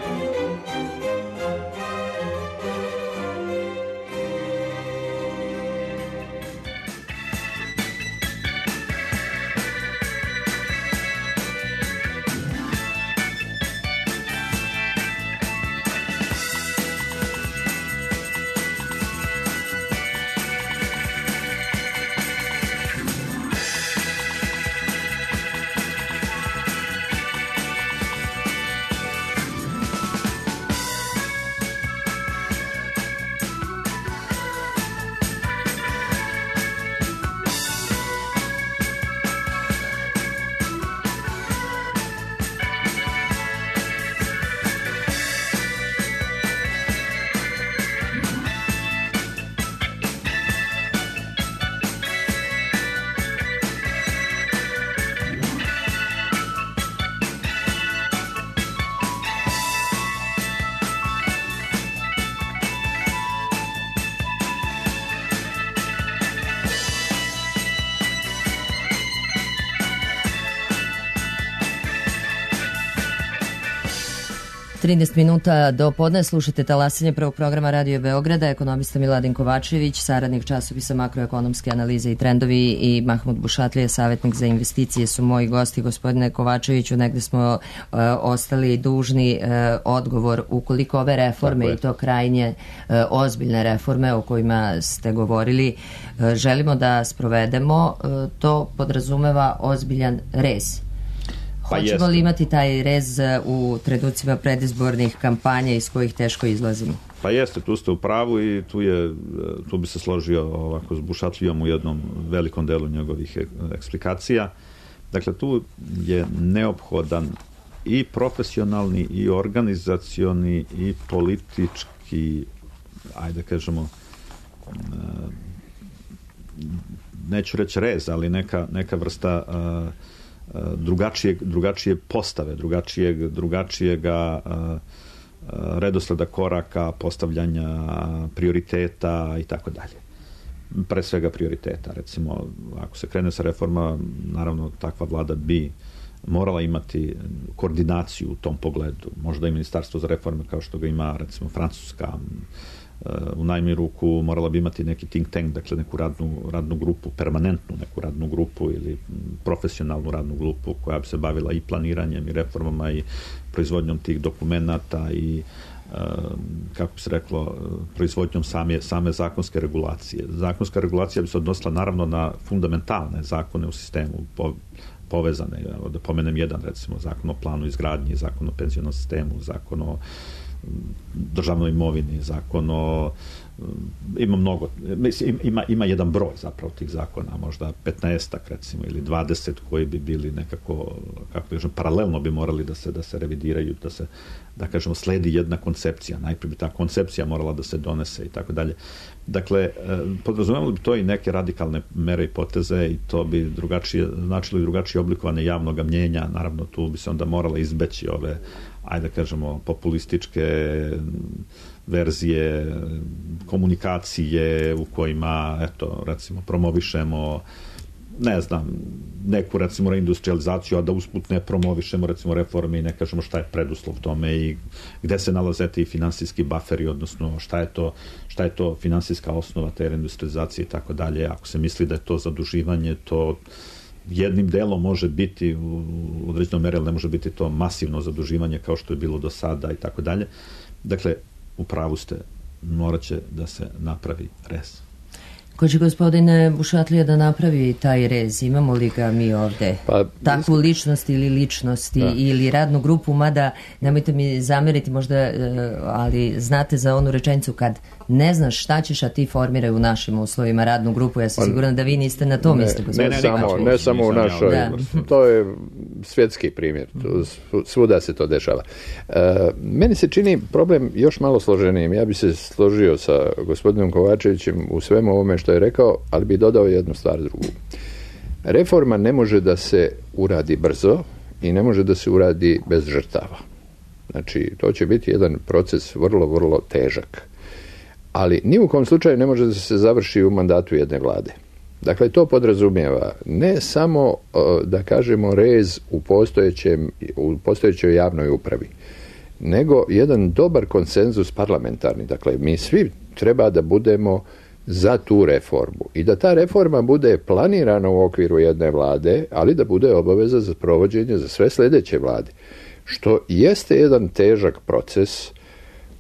trinaest minuta do podne slušate Talasanje prvog programa Radio Beograda. Ekonomista Miladin Kovačević, saradnik časopisa Makroekonomske analize i trendovi, i Mahmud Bušatlija, savjetnik za investicije, su moji gosti. Gospodine Kovačeviću, negde smo uh, ostali dužni uh, odgovor ukoliko ove reforme, i to krajnje uh, ozbiljne reforme o kojima ste govorili, uh, želimo da sprovedemo, uh, to podrazumeva ozbiljan rez. Pa hoćemo jeste. li imati taj rez u trenucima predizbornih kampanja iz kojih teško izlazimo? Pa jeste, tu ste u pravu i tu, je, tu bi se složio ovako s Bušatlijom u jednom velikom delu njegovih eksplikacija. Dakle, tu je neophodan i profesionalni, i organizacioni, i politički, ajde kažemo, neću reći rez, ali neka, neka vrsta drugačije, drugačije postave, drugačijeg, drugačijega redosleda koraka, postavljanja prioriteta i tako dalje. Pre svega prioriteta. Recimo, ako se krene sa reforma, naravno takva vlada bi morala imati koordinaciju u tom pogledu. Možda i Ministarstvo za reforme, kao što ga ima, recimo, Francuska, u najmanju ruku morala bi imati neki think tank, dakle neku radnu, radnu grupu, permanentnu neku radnu grupu ili profesionalnu radnu grupu koja bi se bavila i planiranjem i reformama i proizvodnjom tih dokumenata i kako bi se reklo, proizvodnjom same, same zakonske regulacije. Zakonska regulacija bi se odnosila naravno na fundamentalne zakone u sistemu, po, povezane, da pomenem jedan, recimo, zakon o planu izgradnje, zakon o penzionom sistemu, zakon o državnoj imovini, zakon o ima mnogo, ima, ima jedan broj zapravo tih zakona, možda petnaestak recimo ili dvadeset koji bi bili nekako, kako kažem, paralelno bi morali da se, da se revidiraju, da se, da kažemo, sledi jedna koncepcija, najprije bi ta koncepcija morala da se donese i tako dalje. Dakle, podrazumevali bi to i neke radikalne mere i poteze i to bi drugačije, značilo i drugačije oblikovane javnog mnjenja, naravno tu bi se onda morala izbeći ove, ajde da kažemo, populističke verzije komunikacije u kojima, eto, recimo, promovišemo, ne znam, neku, recimo, reindustrializaciju, a da usput ne promovišemo, recimo, reforme i ne kažemo šta je preduslov tome i gde se nalaze ti finansijski buferi, odnosno šta je to, šta je to finansijska osnova te reindustrializacije i tako dalje. Ako se misli da je to zaduživanje, to jednim delom može biti u određenom meri, ali ne može biti to masivno zaduživanje kao što je bilo do sada i tako dalje. Dakle, u pravu ste, morat će da se napravi rez. Ko će gospodine Bušatlija da napravi taj rez? Imamo li ga mi ovde? Pa, takvu ličnost ili ličnosti da. Ili radnu grupu, mada nemojte mi zameriti možda, ali znate za onu rečenicu kad ne znaš šta ćeš, a ti formiraj u našim uslovima radnu grupu. Ja sam sigurna da vi niste na tom isto. Ne, ne, ne, samo, ne samo u našoj. Da. To je svjetski primjer. Svuda se to dešava. Uh, meni se čini problem još malo složenijim. Ja bi se složio sa gospodinom Kovačevićem u svemu ovome što je rekao, ali bi dodao jednu stvar drugu. Reforma ne može da se uradi brzo i ne može da se uradi bez žrtava. Znači, to će biti jedan proces vrlo, vrlo težak. Ali ni u kom slučaju ne može da se završi u mandatu jedne vlade. Dakle, to podrazumijeva ne samo, da kažemo, rez u postojećem, u postojećoj javnoj upravi, nego jedan dobar konsenzus parlamentarni. Dakle, mi svi treba da budemo za tu reformu i da ta reforma bude planirana u okviru jedne vlade, ali da bude obaveza za provođenje za sve sljedeće vlade. Što jeste jedan težak proces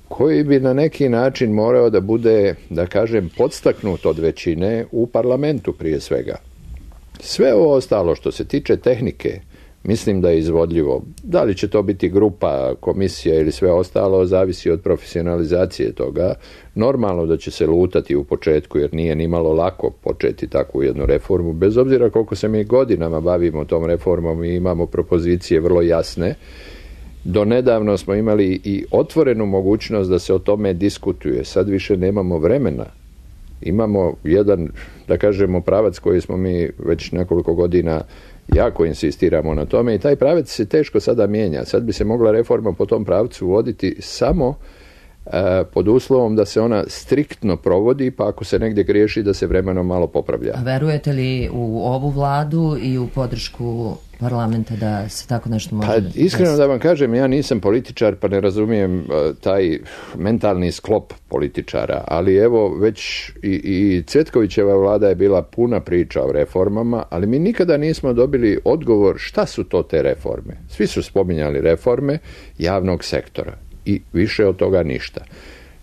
koji bi na neki način morao da bude, da kažem, podstaknut od većine u parlamentu prije svega. Sve ovo ostalo što se tiče tehnike, mislim da je izvodljivo. Da li će to biti grupa, komisija ili sve ostalo, zavisi od profesionalizacije toga. Normalno da će se lutati u početku, jer nije ni malo lako početi takvu jednu reformu. Bez obzira koliko se mi godinama bavimo tom reformom i imamo propozicije vrlo jasne, do nedavno smo imali i otvorenu mogućnost da se o tome diskutuje. Sad više nemamo vremena. Imamo jedan, da kažemo, pravac koji smo mi već nekoliko godina jako insistiramo na tome i taj pravac se teško sada mijenja. Sad bi se mogla reforma po tom pravcu voditi samo e, pod uslovom da se ona striktno provodi, pa ako se negdje griješi da se vremenom malo popravlja. A verujete li u ovu vladu i u podršku parlamenta da se tako nešto može... Pa iskreno da vam kažem, ja nisam političar pa ne razumijem uh, taj mentalni sklop političara, ali evo već i, i Cvetkovićeva vlada je bila puna priča o reformama, ali mi nikada nismo dobili odgovor šta su to te reforme. Svi su spominjali reforme javnog sektora i više od toga ništa.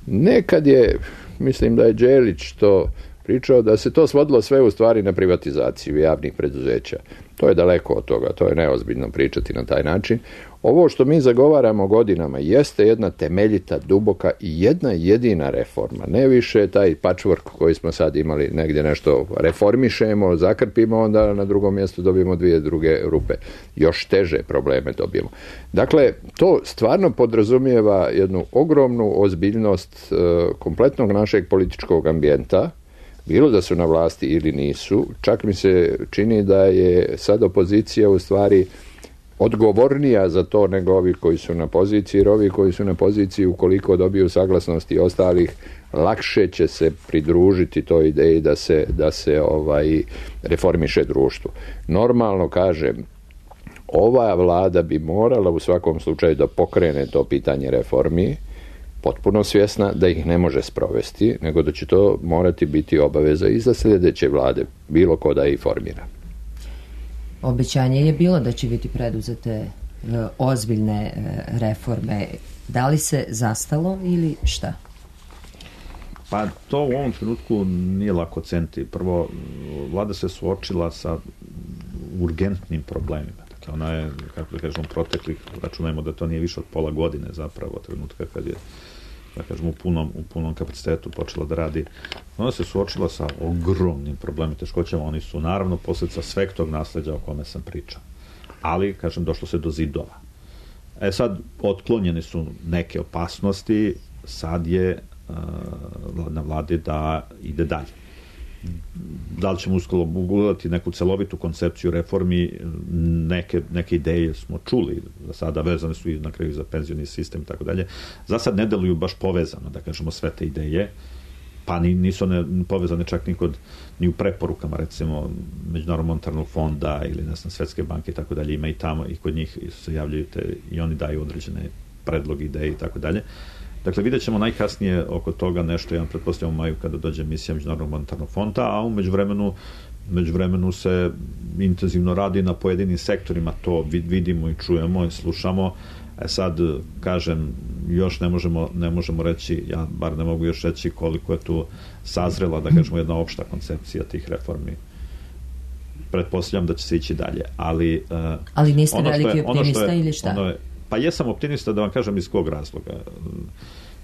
Nekad je, mislim da je Đelić to pričao, da se to svodilo sve u stvari na privatizaciju javnih preduzeća. To je daleko od toga, to je neozbiljno pričati na taj način. Ovo što mi zagovaramo godinama jeste jedna temeljita, duboka i jedna jedina reforma. Ne više taj patchwork koji smo sad imali, negdje nešto reformišemo, zakrpimo, onda na drugom mjestu dobijemo dvije druge rupe. Još teže probleme dobijemo. Dakle, to stvarno podrazumijeva jednu ogromnu ozbiljnost e, kompletnog našeg političkog ambijenta, bilo da su na vlasti ili nisu. Čak mi se čini da je sad opozicija u stvari odgovornija za to nego ovi koji su na poziciji, jer ovi koji su na poziciji, ukoliko dobiju saglasnosti ostalih, lakše će se pridružiti toj ideji da se, da se ovaj, reformiše društvo. Normalno kažem, ova vlada bi morala u svakom slučaju da pokrene to pitanje reformi, potpuno svjesna da ih ne može sprovesti, nego da će to morati biti obaveza i za sljedeće vlade, bilo ko da ih formira. Obećanje je bilo da će biti preduzete e, ozbiljne e, reforme. Da li se zastalo ili šta? Pa to u ovom trenutku nije lako ceniti. Prvo, vlada se suočila sa urgentnim problemima. Dakle, ona je, kako da kažemo, proteklih, računajmo da to nije više od pola godine zapravo, trenutka kad je, da kažemo, u punom, u punom kapacitetu počela da radi. Ona se suočila sa ogromnim problemima, teškoćama. Oni su naravno posljedica sveg tog nasleđa o kome sam pričao. Ali, kažem, došlo se do zidova. E sad, otklonjene su neke opasnosti, sad je uh, na vladi da ide dalje. Da li ćemo uskoro ugledati neku celovitu koncepciju reformi, neke, neke ideje smo čuli, za sada vezane su i na kraju za penzioni sistem i tako dalje. Za sad ne deluju baš povezano, da kažemo, sve te ideje, pa ni, nisu ne povezane čak ni, kod, ni u preporukama, recimo, Međunarodnog monetarnog fonda ili, ne znam, Svetske banke i tako dalje, ima i tamo, i kod njih se javljaju te, i oni daju određene predloge, ideje i tako dalje. Dakle, vidjet ćemo najkasnije oko toga nešto, ja pretpostavljam u maju kada dođe misija Međunarodnog monetarnog fonda, a u međuvremenu, međuvremenu se intenzivno radi na pojedinim sektorima, to vidimo i čujemo i slušamo. E sad, kažem, još ne možemo, ne možemo reći, ja bar ne mogu još reći koliko je tu sazrela, da kažemo, jedna opšta koncepcija tih reformi. Pretpostavljam da će se ići dalje, ali... Ali niste veliki optimista ili šta? Ono je, pa jesam optimista, da vam kažem iz kog razloga.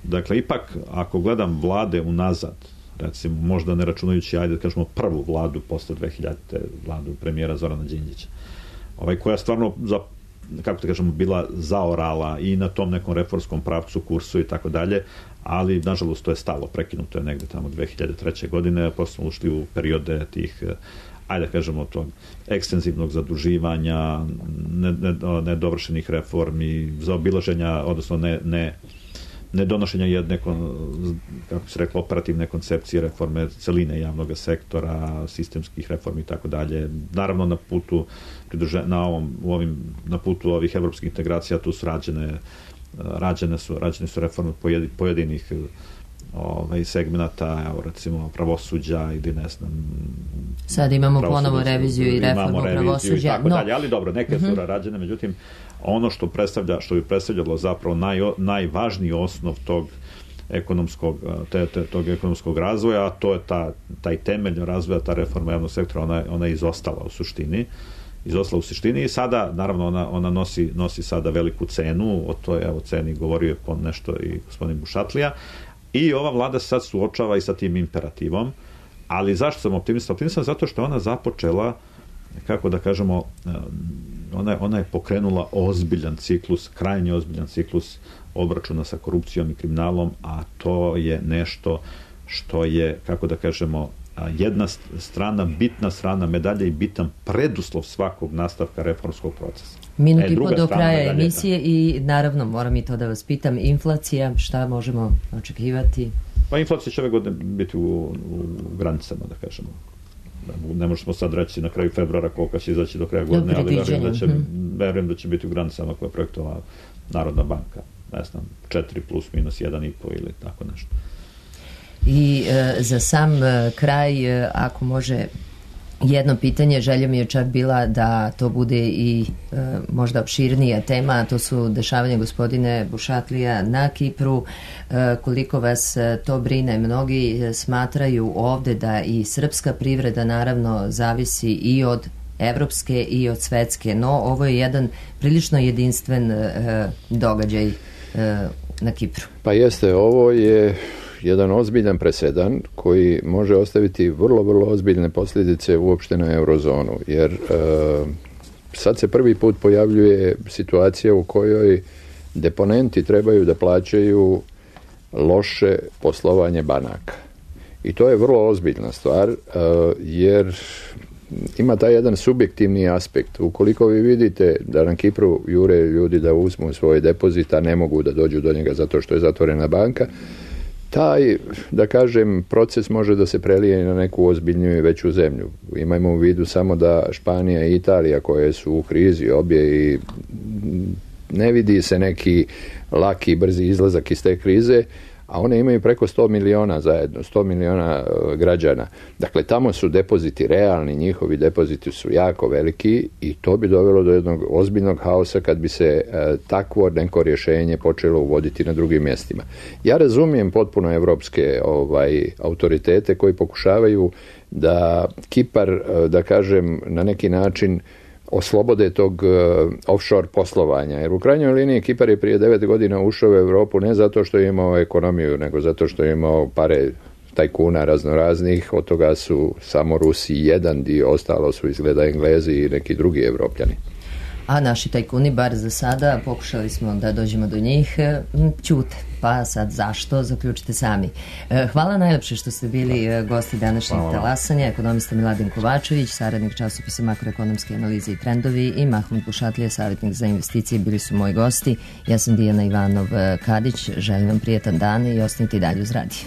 Dakle, ipak, ako gledam vlade unazad, recimo, možda ne računajući, ajde da kažemo, prvu vladu posle dve hiljadite, vladu premijera Zorana Đinđića, ovaj, koja stvarno, za, kako da kažemo, bila zaorala i na tom nekom reformskom pravcu, kursu i tako dalje, ali, nažalost, to je stalo, prekinuto je negde tamo dve hiljade treće godine, posle smo ušli u periode tih, ajde da kažemo, tog ekstenzivnog zaduživanja, nedovršenih ne, ne reformi, zaobilaženja, odnosno ne, ne, ne donošenja jedne, kako se reklo, operativne koncepcije reforme celine javnog sektora, sistemskih reformi i tako dalje. Naravno, na putu na ovom, u ovim, na putu ovih evropskih integracija tu su rađene, rađene su, rađene su reforme pojedinih ovaj, segmenata, evo, recimo pravosuđa ili ne znam... Sad imamo ponovo reviziju i reformu pravosuđa. I tako no. dalje, ali dobro, neke su uh-huh. rađene, međutim, ono što predstavlja, što bi predstavljalo zapravo naj, najvažniji osnov tog ekonomskog, te, te, tog ekonomskog razvoja, a to je ta, taj temelj razvoja, ta reforma javnog sektora, ona, ona je izostala u suštini. izostala u suštini i sada, naravno, ona, ona nosi, nosi sada veliku cenu, o toj evo, ceni govorio je po nešto i gospodin Bušatlija, i ova vlada sad suočava i sa tim imperativom, ali zašto sam optimista? Optimista zato što ona započela, kako da kažemo, ona, ona je pokrenula ozbiljan ciklus, krajnje ozbiljan ciklus obračuna sa korupcijom i kriminalom, a to je nešto što je, kako da kažemo, jedna strana, bitna strana medalje i bitan preduslov svakog nastavka reformskog procesa. Minut i po do kraja emisije i naravno moram i to da vas pitam, inflacija, šta možemo očekivati? Pa inflacija će ove godine biti u, u granicama, da kažemo. Ne možemo sad reći na kraju februara koliko će izaći do kraja godine, ali verujem da, će, verujem da će biti u granicama koje je projektovala Narodna banka. Ne znam, četiri plus minus jedan i po ili tako nešto. I e, za sam e, kraj, e, ako može jedno pitanje, želja mi je čak bila da to bude i e, možda opširnija tema, a to su dešavanja gospodine Bušatlija na Kipru. E, koliko vas to brine? Mnogi smatraju ovde da i srpska privreda naravno zavisi i od evropske i od svetske, no ovo je jedan prilično jedinstven e, događaj e, na Kipru. Pa jeste, ovo je jedan ozbiljan presedan koji može ostaviti vrlo, vrlo ozbiljne posljedice uopšte na eurozonu, jer e, sad se prvi put pojavljuje situacija u kojoj deponenti trebaju da plaćaju loše poslovanje banaka. I to je vrlo ozbiljna stvar, e, jer ima taj jedan subjektivni aspekt. Ukoliko vi vidite da na Kipru jure ljudi da uzmu svoje depozita, ne mogu da dođu do njega zato što je zatvorena banka, taj, da kažem, proces može da se prelije na neku ozbiljniju i veću zemlju. Imajmo u vidu samo da Španija i Italija, koje su u krizi obje i ne vidi se neki laki i brzi izlazak iz te krize, a one imaju preko sto miliona zajedno, sto miliona uh, građana. Dakle, tamo su depoziti realni, njihovi depoziti su jako veliki i to bi dovelo do jednog ozbiljnog haosa kad bi se uh, takvo neko rješenje počelo uvoditi na drugim mjestima. Ja razumijem potpuno evropske ovaj, autoritete koji pokušavaju da Kipar, uh, da kažem, na neki način oslobode tog uh, offshore poslovanja. Jer u krajnjoj liniji Kipar je prije devet godina ušao u Europu ne zato što je imao ekonomiju, nego zato što je imao pare tajkuna raznoraznih, od toga su samo Rusi jedan dio, ostalo su izgleda Englezi i neki drugi Evropljani. A naši tajkuni, bar za sada, pokušali smo da dođemo do njih, ćute. Pa sad zašto, zaključite sami. Hvala najlepše što ste bili gosti današnjeg talasanja. Ekonomista Miladin Kovačević, saradnik časopisa Makroekonomske analize i trendovi, i Mahmud Bušatlija, savjetnik za investicije, bili su moji gosti. Ja sam Dijana Ivanov Kadić, želim vam prijetan dan i ostanite i dalje uz radio.